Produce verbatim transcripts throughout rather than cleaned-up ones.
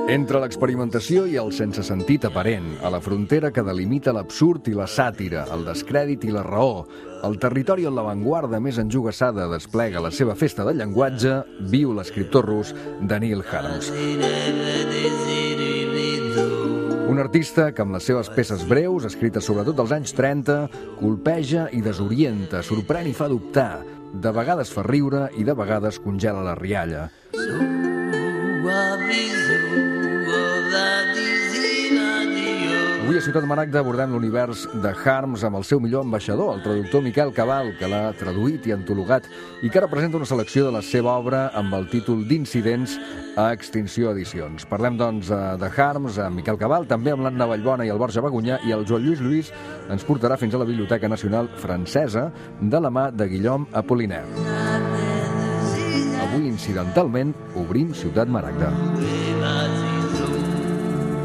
Entre l'experimentació i el sense sentit aparent, a la frontera que delimita l'absurd i la sàtira, el descrèdit i la raó, el territori on l'avantguarda més enjogassada desplega la seva festa del llenguatge, viu l'escriptor rus Daniil Harms. Un artista que amb les seves peces breus, escrites sobretot als anys trenta, colpeja i desorienta, sorprèn i fa dubtar. De vegades fa riure i de vegades congela la rialla. Avui a Ciutat Maragda abordem l'univers de Harms amb el seu millor ambaixador, el traductor Miquel Cabal, que l'ha traduït i antologat i que ara presenta una selecció de la seva obra amb el títol d'Incidents a Extinció Edicions. Parlem, doncs, de Harms amb Miquel Cabal, també amb l'Anna Vallbona i el Borja Bagunyà, i el Joan Lluís Lluís ens portarà fins a la Biblioteca Nacional Francesa de la mà de Guillaume Apollinaire. Avui, incidentalment, obrim Ciutat Maragda.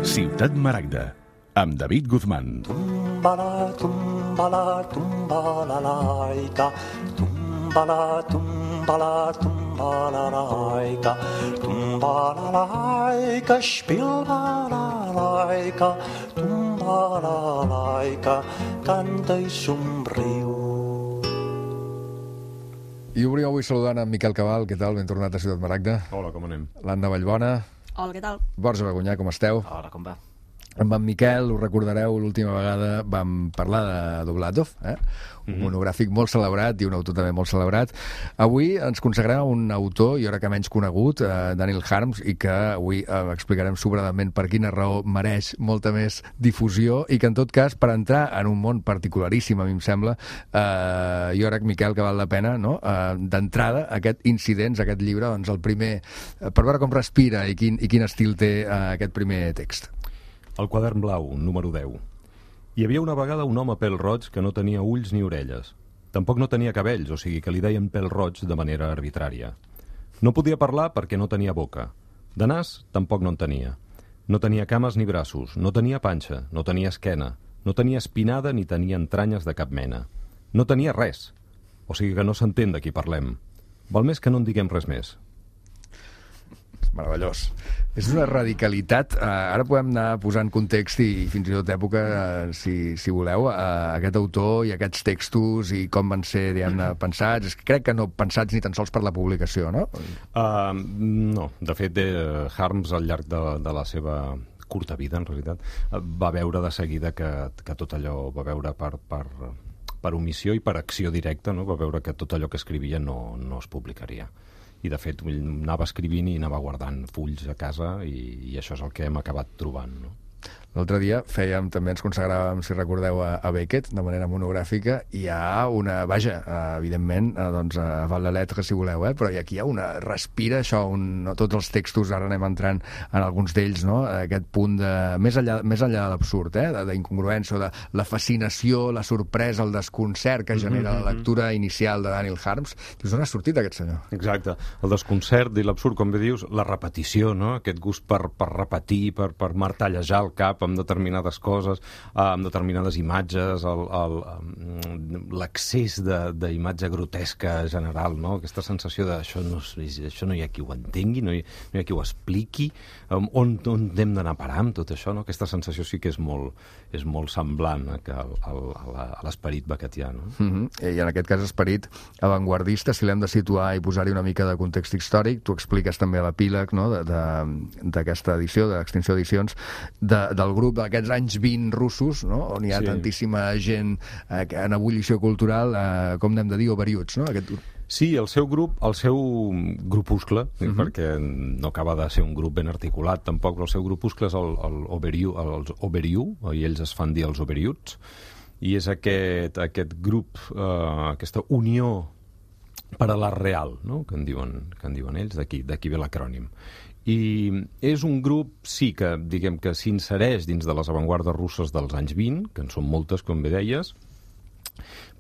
Ciutat Maragda, amb David Guzmán. Tumbala, tumbala, tumbala, laica. Tumbala, tumbala, tumbala, laica. Tumbala, laica, spilbala, laica. Tumbala, laica, canta i somriu. I obrim avui saludant en Miquel Cabal. Què tal? Ben tornat a Ciutat Maragda. Hola, com anem? L'Anna Vallbona. Hola, què tal? Borja Bagunyà, com esteu? Hola, com va? Amb en Miquel, us recordareu, l'última vegada vam parlar de Doblatov, eh? un Mhm. monogràfic molt celebrat i un autor també molt celebrat. Avui ens consagrem a un autor, jo crec que menys conegut, eh, Daniil Harms, i que avui eh, explicarem sobradament per quina raó mereix molta més difusió i que, en tot cas, per entrar en un món particularíssim, a mi em sembla, eh, jo crec, Miquel, que val la pena, no? eh, d'entrada, aquest Incidents, aquest llibre, doncs el primer, eh, per veure com respira i quin, i quin estil té eh, aquest primer text. El quadern blau, número deu. Hi havia una vegada un home pèl-roig que no tenia ulls ni orelles. Tampoc no tenia cabells, o sigui que li deien pèl-roig de manera arbitrària. No podia parlar perquè no tenia boca. De nas, tampoc no en tenia. No tenia cames ni braços, no tenia panxa, no tenia esquena, no tenia espinada ni tenia entranyes de cap mena. No tenia res. O sigui que no s'entén de qui parlem. Val més que no en diguem res més. Meravellós. És una radicalitat. Uh, ara podem anar posant context i fins i tot època, uh, si, si voleu, uh, aquest autor i aquests textos i com van ser, diguem-ne, pensats. És que crec que no pensats ni tan sols per la publicació, no? Uh, no. De fet, eh, Harms, al llarg de, de la seva curta vida, en realitat, va veure de seguida que, que tot allò va veure per, per, per omissió i per acció directa, no? Va veure que tot allò que escrivia no, no es publicaria. I, de fet, anava escrivint i anava guardant fulls a casa i, i això és el que hem acabat trobant, no? L'altre dia fèiem, també ens consagràvem, si recordeu, a, a Beckett, de manera monogràfica, i hi ha una, vaja, evidentment, doncs, a Val de Letre, si voleu, eh? Però aquí hi ha una, respira això, un, no, tots els textos, ara anem entrant en alguns d'ells, no? Aquest punt de, més enllà, més enllà de l'absurd, eh? D'incongruència, de la fascinació, la sorpresa, el desconcert que genera la lectura inicial de Daniil Harms. Dius, on ha sortit aquest senyor? Exacte, el desconcert i l'absurd, com bé dius, la repetició, no? Aquest gust per, per repetir, per, per martellejar el cap amb determinades coses, amb determinades imatges, l'accés d'imatge grotesca general, no? Aquesta sensació de això no, això no hi ha qui ho entengui, no hi, no hi ha qui ho expliqui, on, on hem d'anar a parar amb tot això, no? Aquesta sensació sí que és molt, és molt semblant a, a, a, a l'esperit beckettià, no? Mm-hmm. I en aquest cas esperit avantguardista, si l'hem de situar i posar-hi una mica de context històric, tu expliques també l'epíleg, no? d'aquesta edició, de l'Extinció Edicions, de, del grup d'aquests anys vint russos, no? On hi ha sí. tantíssima gent eh, en ebullició cultural, eh, com n'hem de dir, overuts, no? Aquest... Sí, el seu grup, el seu grupuscle, uh-huh. perquè no acaba de ser un grup ben articulat tampoc, però el seu grupuscle és el, el Overiu, els Overiu, i ells es fan dir els Overuts, i és aquest, aquest grup, eh, aquesta unió per a l'art real, no? que, en diuen, que en diuen ells, d'aquí ve l'acrònim. I és un grup, sí, que diguem que s'insereix dins de les avantguardes russes dels anys vint, que en són moltes, com bé deies,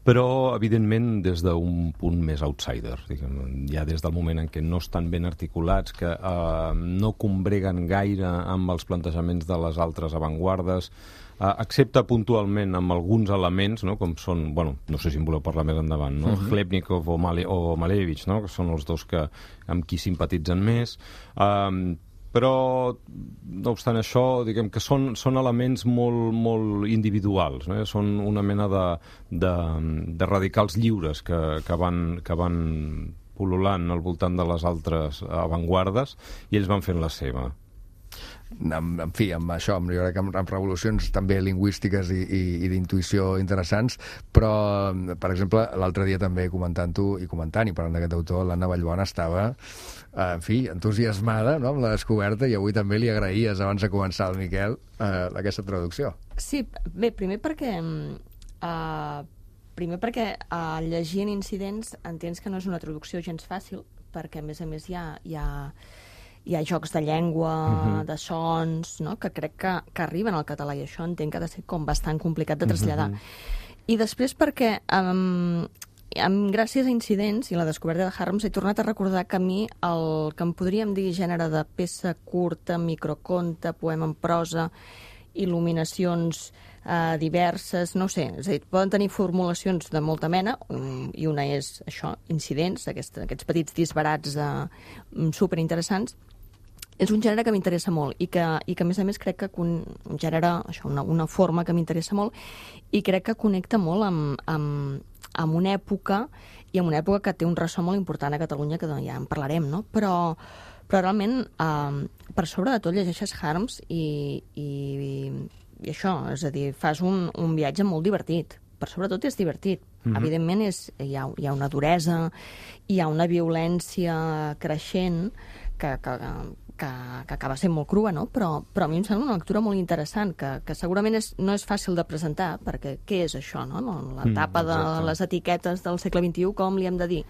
però, evidentment, des d'un punt més outsider. Diguem, ja des del moment en què no estan ben articulats, que eh, no combreguen gaire amb els plantejaments de les altres avantguardes, uh, excepte puntualment amb alguns elements, no? Com són, bueno, no sé si en voleu parlar més endavant, no? Uh-huh. Chlebnikov o, Male, o Malevich, no? Que són els dos que, amb qui simpatitzen més. Um, però, no obstant això, diguem que són, són elements molt, molt individuals, no? Són una mena de, de, de radicals lliures que, que, van, que van pul·lulant al voltant de les altres avantguardes i ells van fent la seva. En, en fi, amb això, amb, jo crec que amb, amb revolucions també lingüístiques i, i, i d'intuïció interessants, però, per exemple, l'altre dia també comentant-ho i comentant i parlant d'aquest autor, l'Anna Vallbona estava, eh, en fi, entusiasmada, no?, amb la descoberta, i avui també li agraïes, abans de començar, al Miquel, eh, aquesta traducció. Sí, bé, primer perquè... Eh, primer perquè eh, llegint incidents entens que no és una traducció gens fàcil, perquè, a més a més, hi ha... Hi ha hi ha jocs de llengua, uh-huh. de sons, no? Que crec que, que arriben al català, i això entenc que ha de ser com bastant complicat de traslladar. Uh-huh. I després perquè, um, amb, gràcies a incidents i la descoberta de Harms, he tornat a recordar que a mi el que em podríem dir gènere de peça curta, microconte, poema en prosa, il·luminacions eh, diverses, no sé, és a dir, poden tenir formulacions de molta mena, um, i una és això, incidents, aquest, aquests petits disbarats eh, superinteressants. És un gènere que m'interessa molt i que, i que, a més a més, crec que un, un gènere, això, una, una forma que m'interessa molt i crec que connecta molt amb, amb, amb una època i amb una època que té un ressò molt important a Catalunya, que ja en parlarem, no? Però, però realment, eh, per sobre de tot, llegeixes Harms i, i, i això, és a dir, fas un, un viatge molt divertit. Per sobretot és divertit. Mm-hmm. Evidentment, és, hi, ha, hi ha una duresa, hi ha una violència creixent que, que, que, que acaba sent molt crua, no? Però, però a mi em sembla una lectura molt interessant, que, que segurament és, no és fàcil de presentar, perquè què és això, no? La tapa de mm, les etiquetes del segle vint-i-u, com li hem de dir?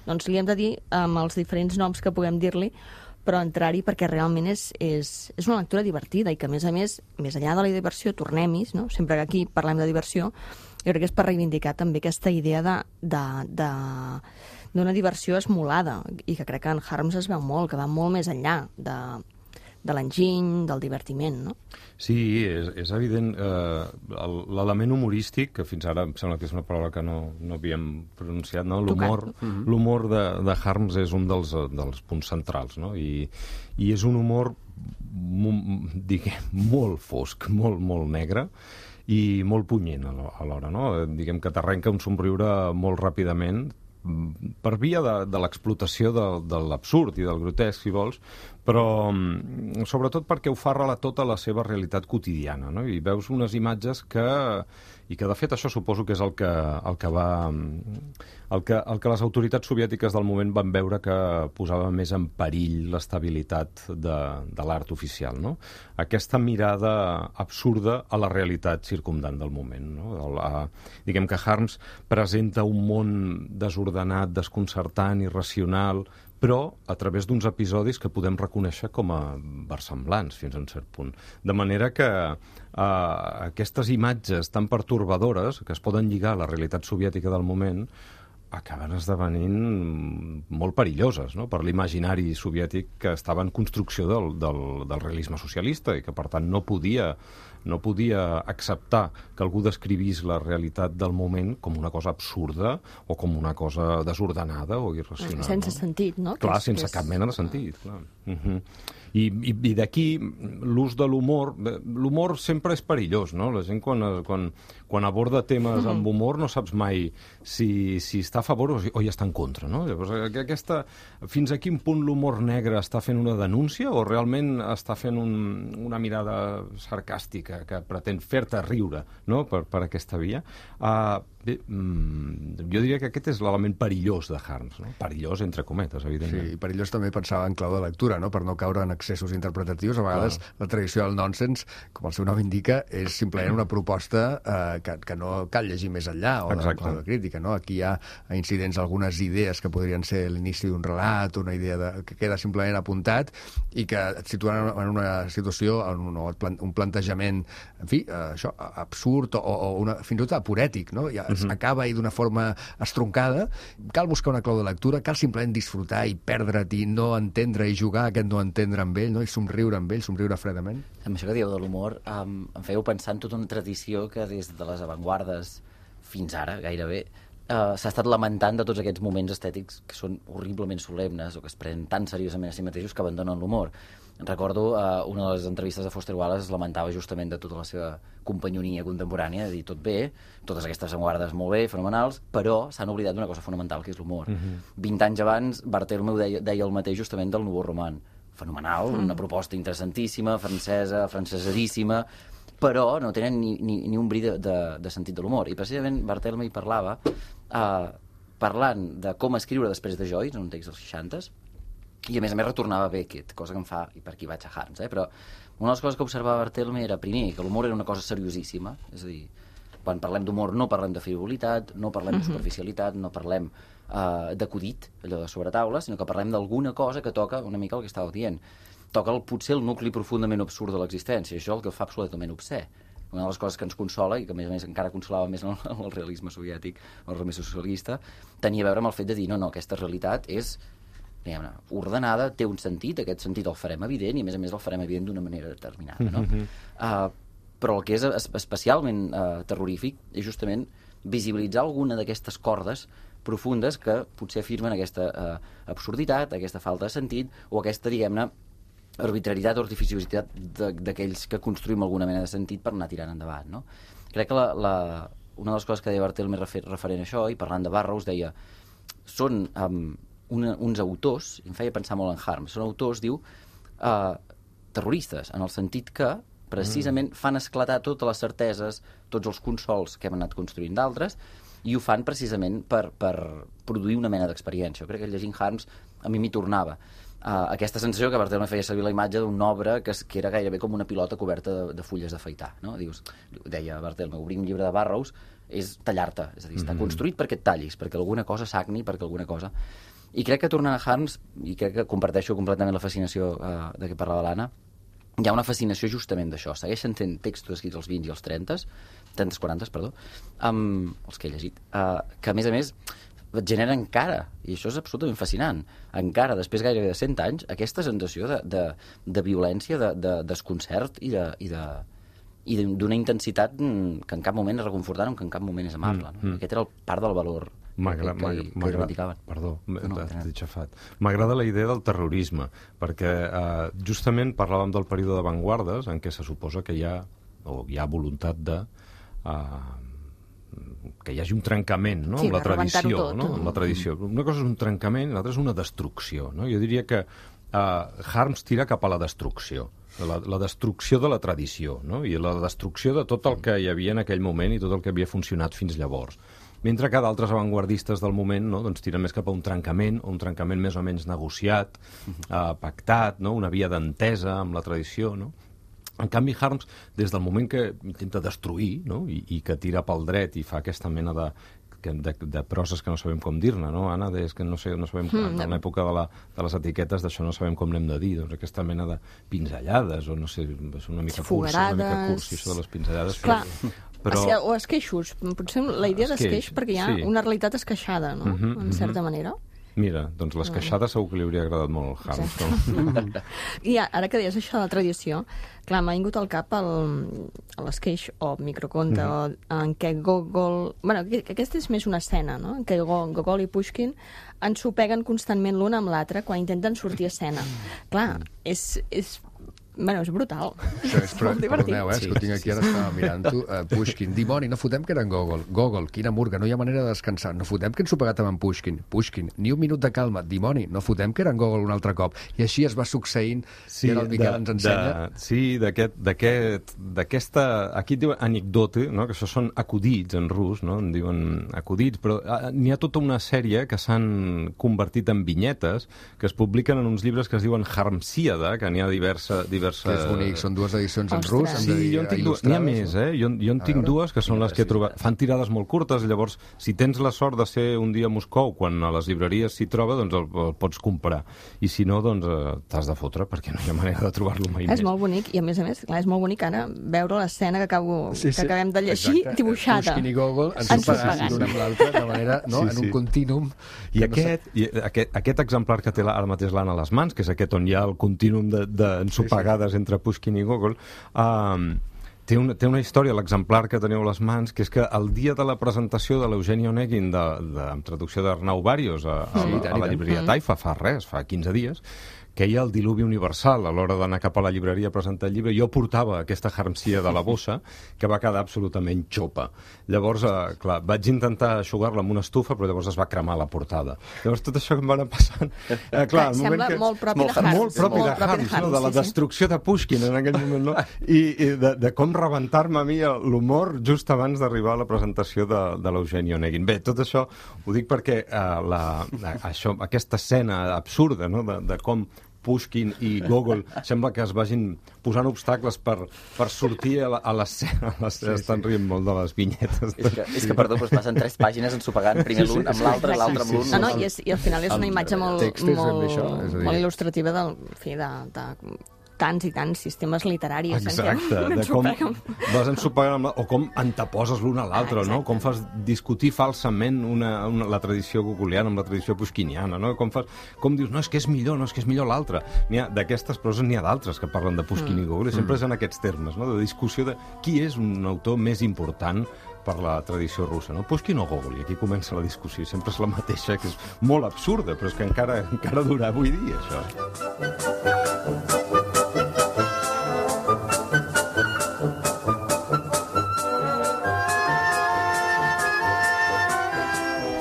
Doncs li hem de dir amb els diferents noms que puguem dir-li, però entrar-hi perquè realment és, és, és una lectura divertida i que, a més a més, més enllà de la diversió, tornem-hi, no? Sempre que aquí parlem de diversió, jo crec que és per reivindicar també aquesta idea de, de, de, d'una diversió esmolada, i que crec que en Harms es veu molt, que va molt més enllà de, de l'enginy, del divertiment, no? Sí, és, és evident. Eh, l'element humorístic, que fins ara em sembla que és una paraula que no, no havíem pronunciat, no? L'humor, uh-huh. l'humor de, de Harms és un dels, dels punts centrals, no? I, i és un humor, diguem, molt fosc, molt, molt negre, i molt punyent alhora, no? Diguem que t'arrenca un somriure molt ràpidament per via de, de l'explotació de, de l'absurd i del grotesc, si vols, però sobretot perquè ho fa relatar tota la seva realitat quotidiana, no? I veus unes imatges que... i que, de fet, això suposo que és el que, el que va... El que, el que les autoritats soviètiques del moment van veure que posava més en perill l'estabilitat de, de l'art oficial, no? Aquesta mirada absurda a la realitat circumdant del moment, no? El, a, diguem que Harms presenta un món desordenat, desconcertant, irracional, però a través d'uns episodis que podem reconèixer com a versemblants fins a un cert punt. De manera que eh, aquestes imatges tan pertorbadores, que es poden lligar a la realitat soviètica del moment, acaben esdevenint molt perilloses, no?, per l'imaginari soviètic que estava en construcció del, del, del realisme socialista i que, per tant, no podia, no podia acceptar que algú descrivís la realitat del moment com una cosa absurda o com una cosa desordenada o irracional. Sense no? sentit, no? Clar, que és, sense que és... cap mena de sentit. Clar. Uh-huh. I, i, i d'aquí l'ús de l'humor. L'humor sempre és perillós, no? La gent quan, quan, quan aborda temes amb humor no saps mai si, si està a favor o, o hi està en contra, no? Llavors, aquesta, fins a quin punt l'humor negre està fent una denúncia o realment està fent un, una mirada sarcàstica que pretén fer-te riure, no?, per, per aquesta via. Uh, bé, mm, jo diria que aquest és l'element perillós de Harms, no? Perillós, entre cometes, evidentment. Sí, i perillós també pensava en clau de lectura, no?, per no caure en excessos interpretatius. A vegades Clar. La tradició del nonsense, com el seu nom indica, és simplement una proposta eh, que, que no cal llegir més enllà o de, o de crítica, no? Aquí hi ha incidents, algunes idees que podrien ser l'inici d'un relat, una idea de, que queda simplement apuntat i que et situen en una situació, en un, un plantejament, en fi, eh, això, absurd o, o una, fins i tot apurètic, no? Ja, s'acaba i d'una forma estroncada. Cal buscar una clau de lectura, cal simplement disfrutar i perdre't i no entendre i jugar aquest no entendre amb ell, no? I somriure amb ell, somriure fredament. Amb això que dieu de l'humor, um, em fèieu pensar en tota una tradició que des de les avantguardes fins ara, gairebé, uh, s'ha estat lamentant de tots aquests moments estètics que són horriblement solemnes o que es prenen tan seriosament a si mateixos que abandonen l'humor. Recordo uh, una de les entrevistes de Foster Wallace es lamentava justament de tota la seva companyonia contemporània, de dir tot bé, totes aquestes avantguardes molt bé, fenomenals, però s'han oblidat d'una cosa fonamental, que és l'humor. Mm-hmm. vint anys abans, Barthélemy deia, deia el mateix justament del Nouveau Roman. Fenomenal, mm. una proposta interessantíssima, francesa, francesadíssima, però no tenen ni, ni, ni un bri de, de, de sentit de l'humor. I precisament Barthélemy parlava, eh, parlant de com escriure després de Joyce, en un text dels seixanta, i a més a més retornava a Beckett, cosa que em fa, i per aquí vaig a Harms, eh? Però una de les coses que observava Barthélemy era, primer, que l'humor era una cosa seriosíssima, és a dir, quan parlem d'humor no parlem de frivolitat, no parlem de superficialitat, no parlem uh, d'acudit, allò de sobretaula, sinó que parlem d'alguna cosa que toca una mica el que estàveu dient. Toca el, potser el nucli profundament absurd de l'existència, això és el que fa absolutament obscè. Una de les coses que ens consola, i que a més a més encara consolava més en el, el realisme soviètic, el realisme socialista, tenia a veure amb el fet de dir, no, no, aquesta realitat és diguem-ne, ordenada, té un sentit, aquest sentit el farem evident, i a més a més el farem evident d'una manera determinada, no? Mm-hmm. uh, però el que és especialment uh, terrorífic és justament visibilitzar alguna d'aquestes cordes profundes que potser afirmen aquesta uh, absurditat, aquesta falta de sentit, o aquesta, diguem-ne, arbitrarietat o artificiositat d'aquells que construïm alguna mena de sentit per anar tirant endavant, no? Crec que la, la, una de les coses que deia Barthélemy referent a això, i parlant de Burroughs, deia, són um, una, uns autors, em feia pensar molt en Harms, són autors, diu, uh, terroristes, en el sentit que precisament fan esclatar totes les certeses, tots els consols que hem anat construint d'altres, i ho fan precisament per, per produir una mena d'experiència. Jo crec que llegint Harms a mi m'hi tornava. Uh, aquesta sensació que Barthélemy feia servir la imatge d'una obra que, que era gairebé com una pilota coberta de, de fulles d'afaitar, no? Dius, deia Barthélemy, obrir un llibre de Burroughs és tallar-te, és a dir, està mm-hmm. construït perquè et tallis, perquè alguna cosa sagni, perquè alguna cosa... I crec que tornant a Harms, i crec que comparteixo completament la fascinació uh, de què parlava l'Anna, hi ha una fascinació justament d'això. Segueixen fent textos escrits als vint i als trenta, trenta, quaranta, perdó, um, els que he llegit, uh, que a més a més et genera encara, i això és absolutament fascinant, encara, després gairebé de cent anys, aquesta sensació de, de, de violència, de, de desconcert i de, i de i d'una intensitat que en cap moment és reconfortant o que en cap moment és amable. No? Mm, mm. Aquest era el part del valor que, que, que reivindicaven. Perdó, no, t'he xafat. M'agrada la idea del terrorisme, perquè eh, justament parlàvem del període d'avantguardes en què se suposa que hi ha, o hi ha voluntat de... Eh, que hi hagi un trencament, no? Sí, amb la tradició, tot, no? Amb la tradició. Una cosa és un trencament, l'altra és una destrucció, no? Jo diria que uh, Harms tira cap a la destrucció, la, la destrucció de la tradició, no? I la destrucció de tot el que hi havia en aquell moment i tot el que havia funcionat fins llavors. Mentre que d'altres avantguardistes del moment, no? Doncs tiren més cap a un trencament, un trencament més o menys negociat, uh, pactat, no? Una via d'entesa amb la tradició, no? En canvi, Harms, des del moment que intenta destruir, no? I, i que tira pel dret i fa aquesta mena de, de, de proses que no sabem com dir-ne, no, Anna? És que no, sé, no sabem, mm, en l'època de, la, de les etiquetes d'això no sabem com n'hem de dir, doncs aquesta mena de pinzellades, o no sé, és una mica cursi, una mica cursi, això de les pinzellades. Clar. Però... O esqueixos, potser la idea d'esqueix, perquè hi ha sí. una realitat esqueixada, no? Uh-huh, en certa uh-huh. manera. Mira, doncs l'esqueixada segur que li hauria agradat molt al Harms. No? I ara que deies això de la tradició, clar, m'ha vingut al cap l'esqueix o microconte mm-hmm. o en què Gogol... Bueno, aquesta és més una escena, no? En què Gogol i Pushkin ensopeguen constantment l'un amb l'altre quan intenten sortir a escena. Clar, és... és Bueno, és brutal. Això és, però, perdoneu, eh, sí, que ho tinc aquí, ara estava mirant-ho. Uh, Pushkin, dimoni, no fotem que era en Gogol. Gogol, quina murga, no hi ha manera de descansar. No fotem que ens ho pegat amb en Pushkin. Pushkin, ni un minut de calma. Dimoni, no fotem que era en Gogol un altre cop. I així es va succeint, sí, i ara el Miquel de, ens ensenya. De, sí, d'aquesta... Aquí et diuen anecdote, no? Que això són acudits en rus, no? En diuen acudits, però uh, n'hi ha tota una sèrie que s'han convertit en vinyetes que es publiquen en uns llibres que es diuen Harmsíada, que n'hi ha diversa, diversa diverses... Que és bonic, són dues edicions en Ostres. rus, hem de Sí, dir, jo en tinc dues. N'hi ha més, eh? Jo, jo en A tinc veure. dues, que són les que he trobat. Fan tirades molt curtes, llavors, si tens la sort de ser un dia a Moscou, quan a les llibreries s'hi troba, doncs el, el pots comprar. I si no, doncs eh, t'has de fotre, perquè no hi ha manera de trobar-lo mai És més. molt bonic, i a més a més, clar, és molt bonic ara veure l'escena que, acabo, Sí, sí. que acabem de llegir Exacte. dibuixada. Pushkin i Gogol Ensopegats. ensopegats l'un amb l'altre, de manera, no? Sí, en sí. un continum. I que no aquest, i aquest, aquest exemplar que té la, ara mateix l'Anna a les mans, que és aquest on hi ha el continum d'ensopegades sí, sí. entre Pushkin i Gogol, um, té, una, té una història, l'exemplar que teniu a les mans, que és que el dia de la presentació de l'Eugenio Onegin, de, de, amb traducció d'Arnau Barios, a, a, Sí, a, tant, a la i tant. llibreria Taifa, fa res, fa quinze dies, que hi ha el diluvi universal a l'hora d'anar cap a la llibreria a presentar el llibre. Jo portava aquesta harmsia de la bossa que va quedar absolutament xopa. Llavors, eh, clar, vaig intentar eixugar-la amb una estufa, però llavors es va cremar la portada. Llavors tot això que em va anar passant... Eh, clar, el Sembla moment que... molt propi molt de Harms. Molt propi Molt de Harms, no? De la sí, sí. destrucció de Pushkin en aquell moment, no? I, i de, de com rebentar-me a mi l'humor just abans d'arribar a la presentació de, de l'Eugenio Onegin. Bé, tot això ho dic perquè eh, la, la, això, aquesta escena absurda, no? de, de com Pushkin i Gogol sembla que es vagin posant obstacles per, per sortir a la- a l'escena. Sí, Estan sí. rient molt de les vinyetes. És que, és que perdó, doncs passen tres pàgines ensopegant, primer l'un amb l'altre, l'altre amb l'un. No, no, i, és, i al final és una imatge molt, text és molt, això, és a dir- molt il·lustrativa del, en fi, de, de tants i tants sistemes literaris. en què Exacte, de com ensopeguen. vas ensopegant amb la, o com anteposes l'un a l'altre, Ah, no? exacte. Com fas discutir falsament una, una, la tradició gogoliana amb la tradició pushkiniana, no? Com, fas, com dius, no, és que és millor, no, és que és millor l'altre. N'hi ha d'aquestes proses, n'hi ha d'altres que parlen de Pushkin Mm. i Gogol, i sempre és en aquests termes, no? De discussió de qui és un autor més important per la tradició russa, no? Pushkin o Gogol, i aquí comença la discussió, sempre és la mateixa, que és molt absurda, però és que encara, encara dura avui dia, això.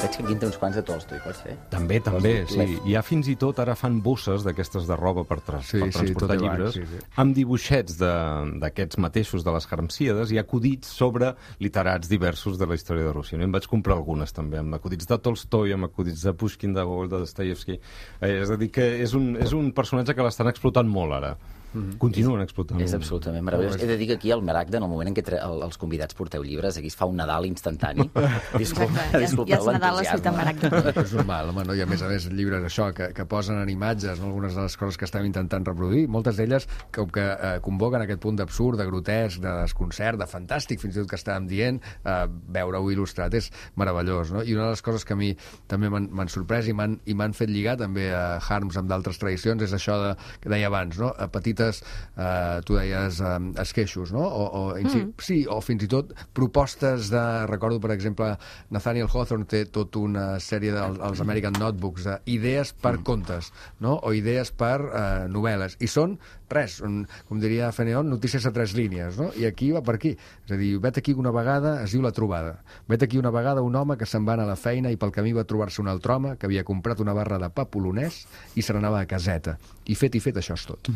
Veig que aquí en té uns quants de Tolstoi, pot ser? També, també, Vols dir sí. Lev? Hi ha fins i tot, ara fan bosses d'aquestes de roba per, tra Sí, per sí, transportar tot llibres, abans, sí, sí. amb dibuixets de- d'aquests mateixos de les Harmsíades i acudits sobre literats diversos de la història de Rússia. No? Em vaig comprar algunes també, amb acudits de Tolstoi, amb acudits de Pushkin, de Gogol, de Dostoyevsky. Eh, és a dir, que és un, és un personatge que l'estan explotant molt ara. Mm-hmm. Continuen explotant És molt. absolutament meravellós. He de dir que aquí al Maragda, en el moment en què tre- el, els convidats porteu llibres, aquí es fa un Nadal instantani. Disculpa, Exacte, ja, ja disculpeu és Nadal a Ciutat l'entusiasme. Maragda. És normal, home, no? I a més a més llibres això, que, que posen en imatges, no? Algunes de les coses que estem intentant reproduir, moltes d'elles com que eh, convoquen aquest punt d'absurd, de grotesc, de desconcert, de fantàstic, fins i tot que estàvem dient, eh, veure-ho il·lustrat és meravellós, no? I una de les coses que a mi també m'han m'han sorprès i m'han i m'han fet lligar també a Harms amb d'altres tradicions és això de, que deia abans, no? A petites, eh, tu deies, eh, esqueixos, no? O, o, mm. Sí, o fins i tot propostes de... Recordo, per exemple, Nathaniel Hawthorne té tota una sèrie dels American Notebooks d'idees per mm. contes, no? O idees per eh, novel·les. I són, res, un, com diria Feneon, notícies a tres línies, no? I aquí va per aquí. És a dir, vet aquí una vegada, es diu La Trobada. Vet aquí una vegada un home que se'n va anar a la feina i pel camí va trobar-se un altre home que havia comprat una barra de pa polonès i se n'anava a caseta. I fet i fet, això és tot.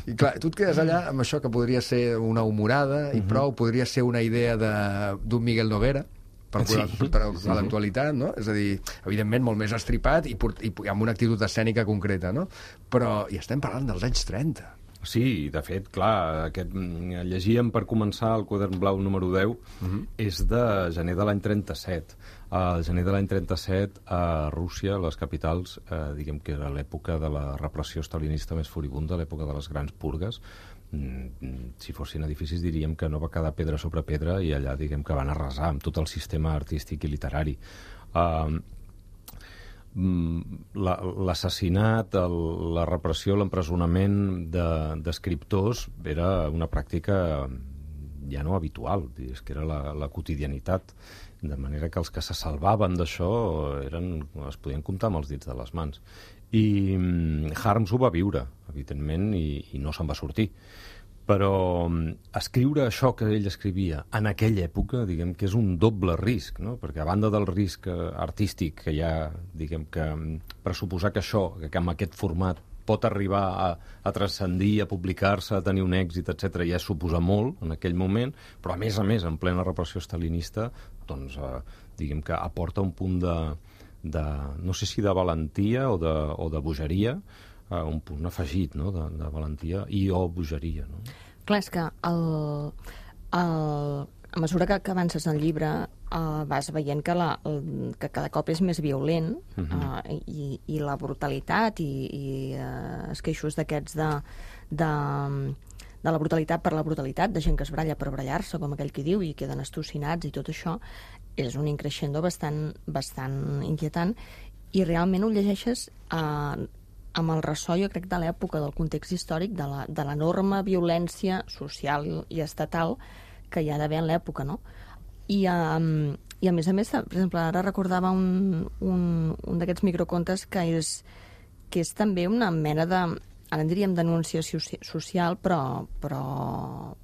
I clar, tu et quedes allà amb això que podria ser una humorada i prou, podria ser una idea de- d'un Miguel Noguera, per, sí, per, per sí, a l'actualitat, no? És a dir, evidentment molt més estripat i, port, i amb una actitud escènica concreta, no? Però hi estem parlant dels anys trenta. Sí, de fet, clar, aquest, mm, llegíem per començar el quadern blau número deu, uh -huh. és de gener de l'any trenta-set. Al gener de l'any trenta-set, a Rússia, a les capitals, eh, diguem que era l'època de la repressió stalinista més furibunda, l'època de les grans purgues. Mm, si fossin edificis diríem que no va quedar pedra sobre pedra i allà diguem que van arrasar amb tot el sistema artístic i literari. Uh, La- l'assassinat, el- la repressió, l'empresonament de- d'escriptors era una pràctica ja no habitual, és que era la, la quotidianitat, de manera que els que se salvaven d'això eren, es podien comptar amb els dits de les mans. I mm, Harms ho va viure, evidentment, i, i no se'n va sortir. Però mm, escriure això que ell escrivia en aquella època, diguem que és un doble risc, no? Perquè a banda del risc eh, artístic que hi ha, diguem que mm, pressuposar que això, que amb aquest format pot arribar a, a transcendir, a publicar-se, a tenir un èxit, etcètera, ja suposa molt en aquell moment, però a més a més, en plena repressió stalinista, doncs, eh, diguem que aporta un punt de, de no sé si de valentia o de, o de bogeria, uh, un punt afegit, no?, de, de valentia i o bogeria, no? Clar, és que el, el, a mesura que, que avances en el llibre uh, vas veient que, la, el, que cada cop és més violent uh -huh. uh, i, i la brutalitat i, i uh, esqueixos d'aquests de, de, de la brutalitat per la brutalitat, de gent que es bralla per brallar-se, com aquell que diu, i queden estocinats i tot això, és un increixendo bastant, bastant inquietant, i realment ho llegeixes uh, amb el ressò, jo crec, de l'època, del context històric, de l'enorme violència social i estatal que hi ha d'haver en l'època, no? I, um, I a més a més, per exemple, ara recordava un, un, un d'aquests microcontes que és, que és també una mena de, ara en diríem denúncia social, però, però,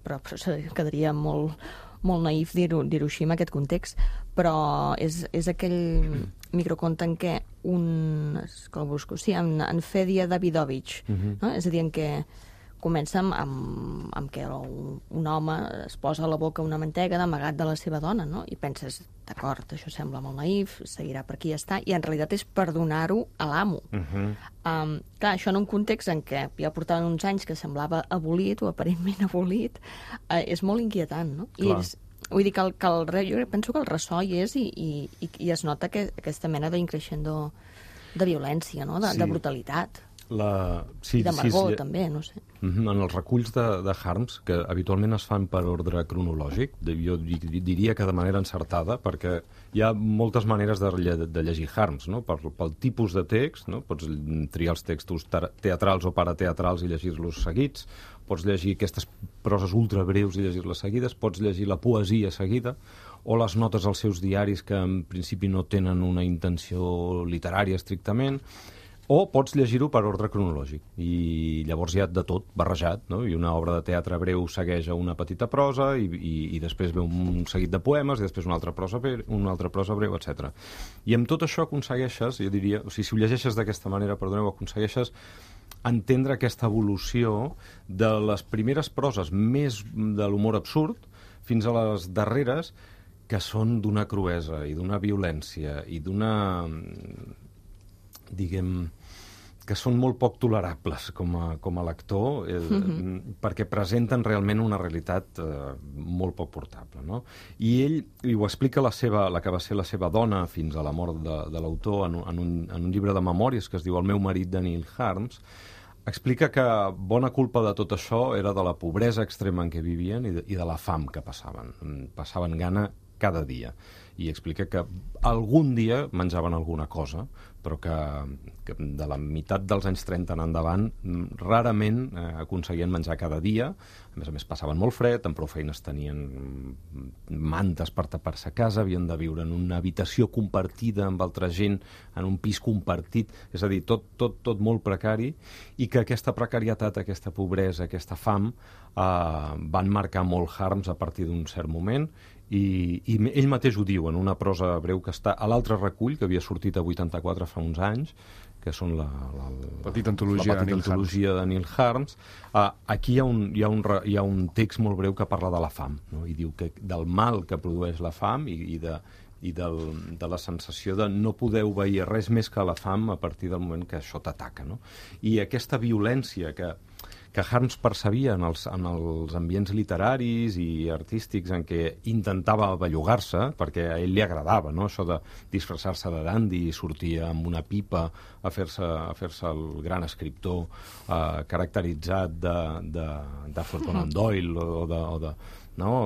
però, però quedaria molt, molt naïf dir-ho dir-ho així en aquest context, però és, és aquell microconte en què un... que el busco, sí, en, en Fedja Davidovich, uh-huh. no? És a dir, en què comença amb, amb, amb que un, un home es posa a la boca una mantega d'amagat de la seva dona, no? I penses, d'acord, això sembla molt naïf, seguirà per aquí i ja està, i en realitat és per donar-ho a l'amo. Uh-huh. um, clar, això en un context en què ja portaven uns anys que semblava abolit o aparentment abolit, uh, és molt inquietant, no? Clar. I és, vull dir que, el, que el, jo penso que el ressò hi és i, i, i es nota que aquesta mena d'increixendo de violència, no? de, sí. de brutalitat. La... Sí, I d'amargor, sí, sí. també, no sé. En els reculls de, de Harms, que habitualment es fan per ordre cronològic, jo diria que de manera encertada, perquè hi ha moltes maneres de, de llegir Harms, no? Per, pel tipus de text, no? Pots triar els textos teatrals o parateatrals i llegir-los seguits, pots llegir aquestes proses ultra breus i llegir-les seguides, pots llegir la poesia seguida, o les notes als seus diaris que en principi no tenen una intenció literària estrictament, o pots llegir-ho per ordre cronològic, i llavors hi ha de tot, barrejat, no? I una obra de teatre breu segueix a una petita prosa, i, i, i després ve un seguit de poemes, i després una altra prosa, breu, una altra prosa breu, etcètera. I amb tot això aconsegueixes, jo diria, o sigui, si ho llegeixes d'aquesta manera, perdoneu, aconsegueixes entendre aquesta evolució de les primeres proses més de l'humor absurd fins a les darreres, que són d'una cruesa i d'una violència i d'una... diguem, que són molt poc tolerables com a, com a lector, eh, mm-hmm. perquè presenten realment una realitat eh, molt poc portable, no? I ell, i ho explica la, seva, la que va ser la seva dona fins a la mort de, de l'autor en, en, un, en un llibre de memòries que es diu El meu marit, de Neil Harms, explica que bona culpa de tot això era de la pobresa extrema en què vivien i de, i de la fam que passaven. Passaven gana cada dia. I explica que algun dia menjaven alguna cosa, però que, que de la meitat dels anys trenta en endavant rarament eh, aconseguien menjar cada dia. A més a més, passaven molt fred, amb prou feines tenien mantes per tapar-se a casa, havien de viure en una habitació compartida amb altra gent, en un pis compartit, és a dir, tot, tot, tot molt precari, i que aquesta precarietat, aquesta pobresa, aquesta fam, eh, van marcar molt Harms a partir d'un cert moment, i, i ell mateix ho diu en una prosa breu que està a l'altre recull, que havia sortit a vuitanta-quatre fa uns anys, que són la, la, la, petita antologia, la petita de, antologia de Neil Harms. Uh, aquí hi ha, un, hi, ha un, hi ha un text molt breu que parla de la fam, no? I diu que del mal que produeix la fam i, i, de, i del, de la sensació de no poder obeir res més que la fam a partir del moment que això t'ataca, no? I aquesta violència que que Harms percebia en els, en els ambients literaris i artístics en què intentava bellugar-se, perquè a ell li agradava, no?, això de disfressar-se de dandy i sortir amb una pipa a fer-se a fer-se el gran escriptor eh, caracteritzat de, de, d'Arthur Conan Doyle o de... O de no?